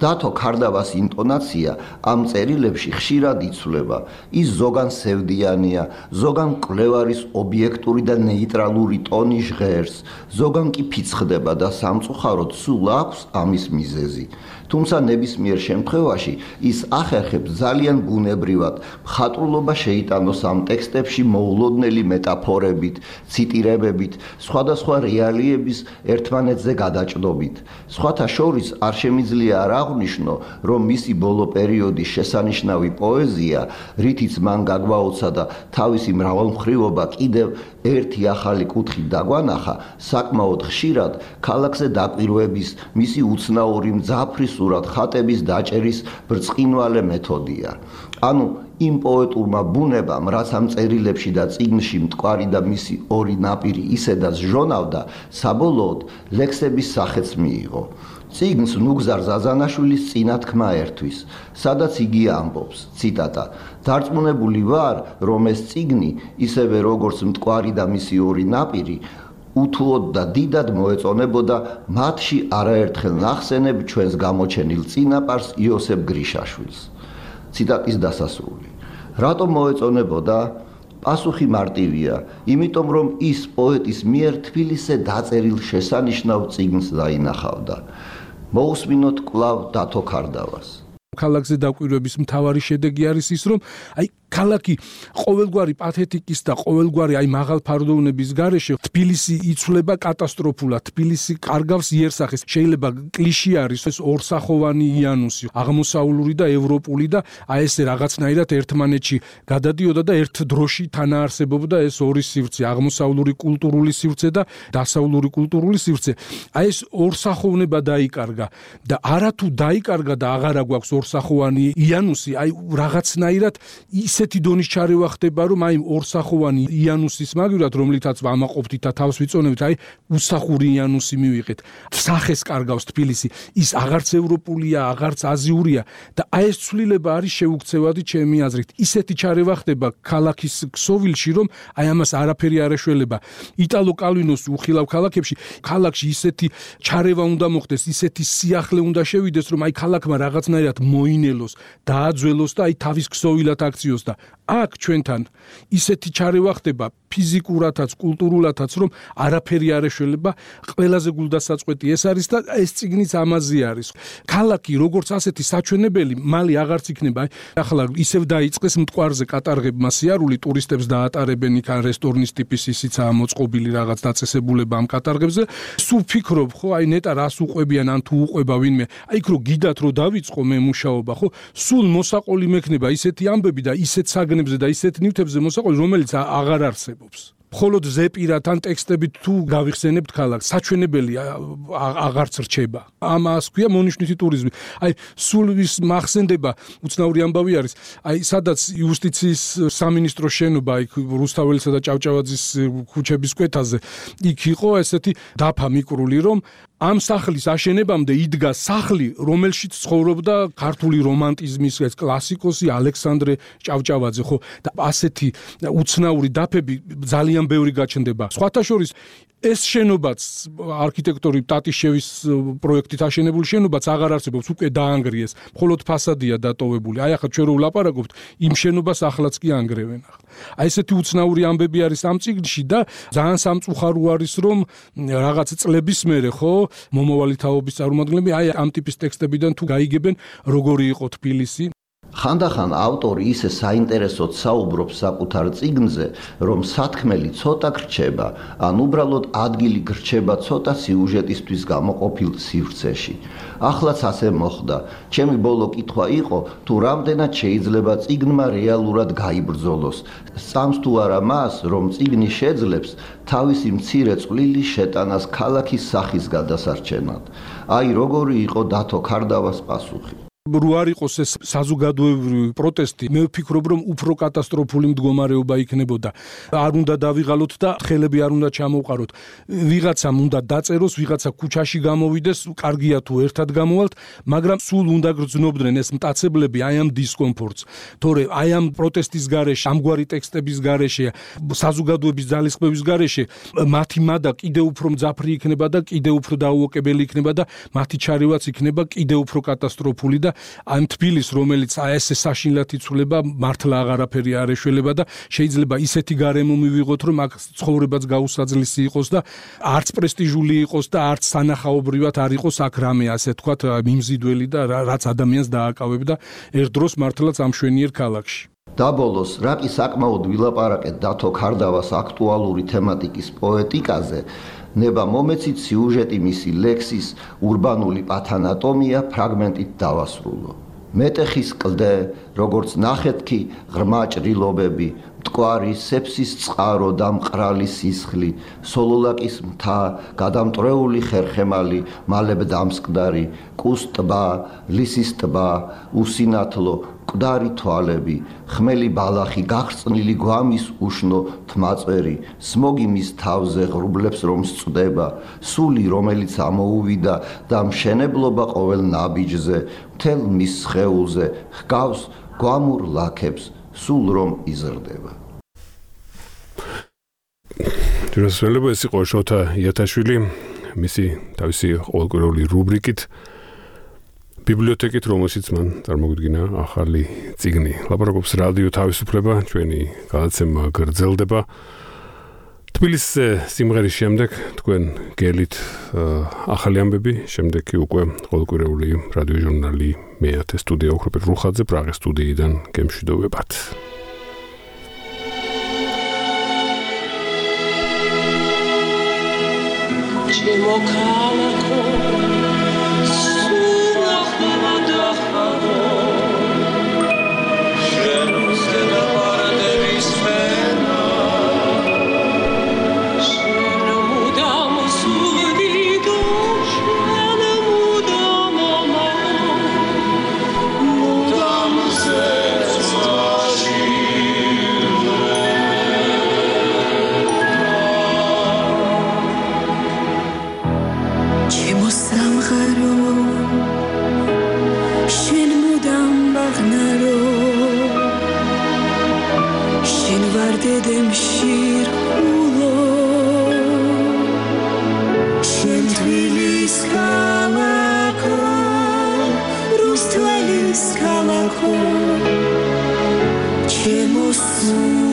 დათო ქარდავას ინტონაცია ამ წერილებში ხშირად იცვლება. ის ზოგან სევდიანია, ზოგან მკვლევარის ობიექტური და ნეიტრალური ტონი ჟღერს, ზოგან კი ფიცხდება და სამწუხაროდ სულ აქვს ამის მიზეზი. თუმცა ნებისმიერ შემთხვევაში ის ახერხებს ძალიან ბუნებრივად მხატვრულობა შეიტანოს ამ ტექსტებში მოულოდნელი მეტაფორებით, ციტირებებით, სხვადასხვა რეალიების ერთმანეთზე გადაჭრობით. სხვათა შორის არ შემიძლია არ აღვნიშნო, რომ მისი ბოლო პერიოდის შესანიშნავი პოეზია, რითიც მან გაგვაოცა და თავისი მრავალმხრივობა კიდევ ერთი ახალი კუთხით დაგვანახა, საკმაოდ ხშირად ქალაქზე დაკვირვების, მისი უცნაური მძაფრი სურათ ხატების დაჭერის ბრწყინვალე მეთოდია. ანუ იმ პოეტურმა ბუნებამ, რაც ამ წერილებში და წიგნში მტკვარი და მისი ორი ნაპირი ისედაც ჟონავდა, საბოლოოდ ლექსების სახეც მიიღო. წიგნს ნუგზარ ზაზანაშვილის წინა თქმა ერთვის, სადაც იგი ამბობს, ციტატა: "დარწმუნებული ვარ, რომ ეს წიგნი, ისევე როგორც მტკვარი და მისი ორი ნაპირი, უთუოდ და დიდად მოეწონებოდა მათში არაერთხელ ნახსენებ ჩვენს გამოჩენილ წინაპარს იოსებ გრიშაშვილს." ციტატის დასასრული. რატომ მოეწონებოდა? პასუხი მარტივია, იმიტომ რომ ის პოეტის მიერ თბილისზე დაწერილ შესანიშნავ წიგნს დაინახავდა. მოусმინოთ კვლავ დათო ქარდავას. ქალაქზე დაკვირვების მთავარი შედეგი არის ის, რომ აი ქალაქი ყოველგვარი პათეტიკის და ყოველგვარი აი მაღალფარდოვნების გარეშე თბილისი იცვლება კატასტროფულად, თბილისი კარგავს იერსახეს. შეიძლება კლიშე არის ეს ორსახოვანი იანუსი, აღმოსავლური და ევროპული და აი ესე რაღაცნაირად ერთმანეთში გადადიოდა და ერთ დროში თანაარსებობდა ეს ორი სივრცე, აღმოსავლური კულტურული სივრცე და დასავლური კულტურული სივრცე. აი ეს ორსახოვნება დაიკარგა და არათუ დაიკარგა და აღარა გვაქვს ორსახოვანი იანუსი, აი რაღაცნაირად ის ესეთი დონის ჩარევა ხდება, რომ აი ორსახოვანი იანუსის მაგივრად, რომლითაც ვამაყობთ და თავს ვიწონებთ, აი უსახური იანუსი მივიღეთ. სახეს კარგავს თბილისი, ის აღარც ევროპულია, აღარც აზიურია და აი ეს ცვლილება არის შეუქცევადი ჩემი აზრით. ისეთი ჩარევა ხდება ქალაქის ქსოვილში, რომ აი ამას არაფერი არ ეშველება. იტალო კალვინოს უხილავ ქალაქებში, ქალაქში ისეთი ჩარევა უნდა მოხდეს, ისეთი სიახლე უნდა შევიდეს, რომ აი ქალაქმა რაღაცნაირად მოინელოს, დააძველოს და აი თავის ქსოვილად აქციოს და აქ ჩვენთან ისეთი ჩარევა ხდება ფიზიკურათაც, კულტურულათაც, რომ არაფერი არ ეშველება, ყველაზე გულდასაწყვეტი ეს არის და ეს წიგნიც ამაზე არის. ქალაქი როგორც ასეთი საჩვენებელი მალე აღარც იქნება. ახლა ისევ დაიწყეს მტკვარზე კატარღებმა სიარული, ტურისტებს დაატარებენ იქ ან რესტორნის ტიპის ისიცაა მოწყობილი რაღაც დაწესებულება ამ კატარღებზე. სულ ფიქრობ, ხო, აი ნეტა რას უყვებიან ან თუ უყვება ვინმე. აი იქ რო გიდათ რო დავიწყო მე მუშაობა, ხო, სულ მოსაყოლი მექნება ისეთი ამბები და ისეთ საგნებზე და ისეთ ნივთებზე მოსაყოლი, რომელიც აღარ არსებობს. მხოლოდ ზეპირად ან ტექსტებით თუ გავიხსენებთ ქალაქს, საჩვენებელი აღარც რჩება. ამას ქვია მონიშნვითი ტურიზმი. აი სულ ვის მახსენდება, უცნაური ამბავი არის, აი სადაც იუსტიციის სამინისტროს შენობა, იქ რუსთაველისა და ჭავჭავაძის ქუჩების კვეთაზე, იქ იყო ესეთი დაფა მიკრული, რომ ამ სახლის აშენებამდე იდგა სახლი, რომელშიც ცხოვრობდა ქართული რომანტიზმის ეს კლასიკოსი ალექსანდრე ჭავჭავაძე, ხო? და ასეთი უცნაური დაფები ძალიან ბევრი გაჩნდება. სხვათა შორის ეს შენობაც არქიტექტორი ტატიშევის პროექტით აშენებული შენობაც აღარ არსებობს, უკვე დაანგრიეს, მხოლოდ ფასადია დატოვებული. აი ახლა ჩვენ რო ვლაპარაკობთ, იმ შენობას ახლაც კი ანგრევენ ახლა. აი ესეთი უცნაური ამბები არის ამ წიგნში და ძალიან სამწუხარო არის რომ რაღაც წლების მერე ხო მომავალი თაობის წარმომადგენლები აი ამ ტიპის ტექსტებიდან თუ გაიგებენ როგორი იყო თბილისი. ხანდახან ავტორი ისე საინტერესოდ საუბრობს საკუთარ წიგნზე, რომ სათქმელი ცოტა გრჩება, ან უბრალოდ ადგილი გრჩება ცოტა სიუჟეტისთვის გამოყოფილ სივრცეში. ახლაც ასე მოხდა. ჩემი ბოლო კითხვა იყო, თუ რამდენად შეიძლება წიგნმა რეალურად გაიბრძოლოს. სწამს თუ არა მას, რომ წიგნი შეძლებს თავისი მცირე წვლილი შეტანას ქალაქის სახის გადასარჩენად. აი როგორი იყო დათო ქარდავას პასუხი. რო არ იყოს ეს საზოგადოებრივი პროტესტი, მე ვფიქრობ, რომ უფრო კატასტროფული მდგომარეობა იქნებოდა. არ უნდა დავიღალოთ და ხელები არ უნდა ჩამოვყაროთ. ვიღაცამ უნდა დაწეროს, ვიღაცა ქუჩაში გამოვიდეს, კარგია თუ ერთად გამოვალთ, მაგრამ სულ უნდა გრძნობდნენ ეს მტაცებლები აი ამ დისკომფორტს. თორე აი ამ პროტესტის გარეშე, ამგვარი ტექსტების გარეშე, საზოგადოების ძალისხმევის გარეშე, მათი მადა კიდევ უფრო მძაფრი იქნება და კიდევ უფრო დაუოკებელი იქნება და მათი ჩარევაც იქნება კიდევ უფრო კატასტროფული და ამ თბილის, რომელიც ესე საშინლად იცვლება, მართლა აღარაფერი არ ეშველება და შეიძლება ისეთი გარემო მივიღოთ, რომ აქ ცხოვრებაც გაუსაძლისი იყოს და არც პრესტიჟული იყოს და არც სანახაობრივად არ იყოს აქ რამე ასე თქვათ მიმზიდველი და რაც ადამიანს დააკავებდა ერთ დროს მართლაც ამ შვენიერ ქალაქში. დაბოლოს, რა კი საკმაოდ ვილაპარაკეთ დათო ქარდავას აქტუალური თემატიკის პოეტიკაზე, ნება მომეცით სიუჟეტი მისი ლექსის ურბანული პათანატომია ფრაგმენტით დავასრულო. მეტეხის კლდე, როგორც ნახეთქი ღრმა ჭრილობები, მტკვარი სეფსის წყარო და მყრალი სისხლი, სოლოლაკის მთა, გადამტრეული ხერხემალი, მალებ დამსკდარი, კუს ტბა, ლისის ტბა, უსინათლო, მკვდარი თვალები, ხმელი ბალახი, გახსნილი გვამის უშნო თმაწვერი, სმოგი მის თავზე ღრუბლებს რომ სწდება, სული რომელიც ამოუვიდა და მშენებლობა ყოველ ნაბიჯზე, მთელ მის სხეულზე ჰგავს გვამურ ლაქებს, სულ რომ იზრდება. ჯეროსველება ეს იყო შოთა იათაშვილი, მისი თავისი ყოველკვირეული რუბრიკით ბიბლიოთეკით, რომელშიც მან წარმოგვიდგინა ახალი წიგნი. ლაპარაკობს რადიო თავისუფლება, ჩვენი გადაცემა გრძელდება. თბილისზე სიმღერის შემდეგ თქვენ გელით ახალი ამბები, შემდეგ კი უკვე ყოველკვირეული რადიო ჟურნალი მეათე სტუდია ოქროპირ რუხაძე პრაღის სტუდიიდან გემშვიდობებათ. ჩემო ქალაქო Chemo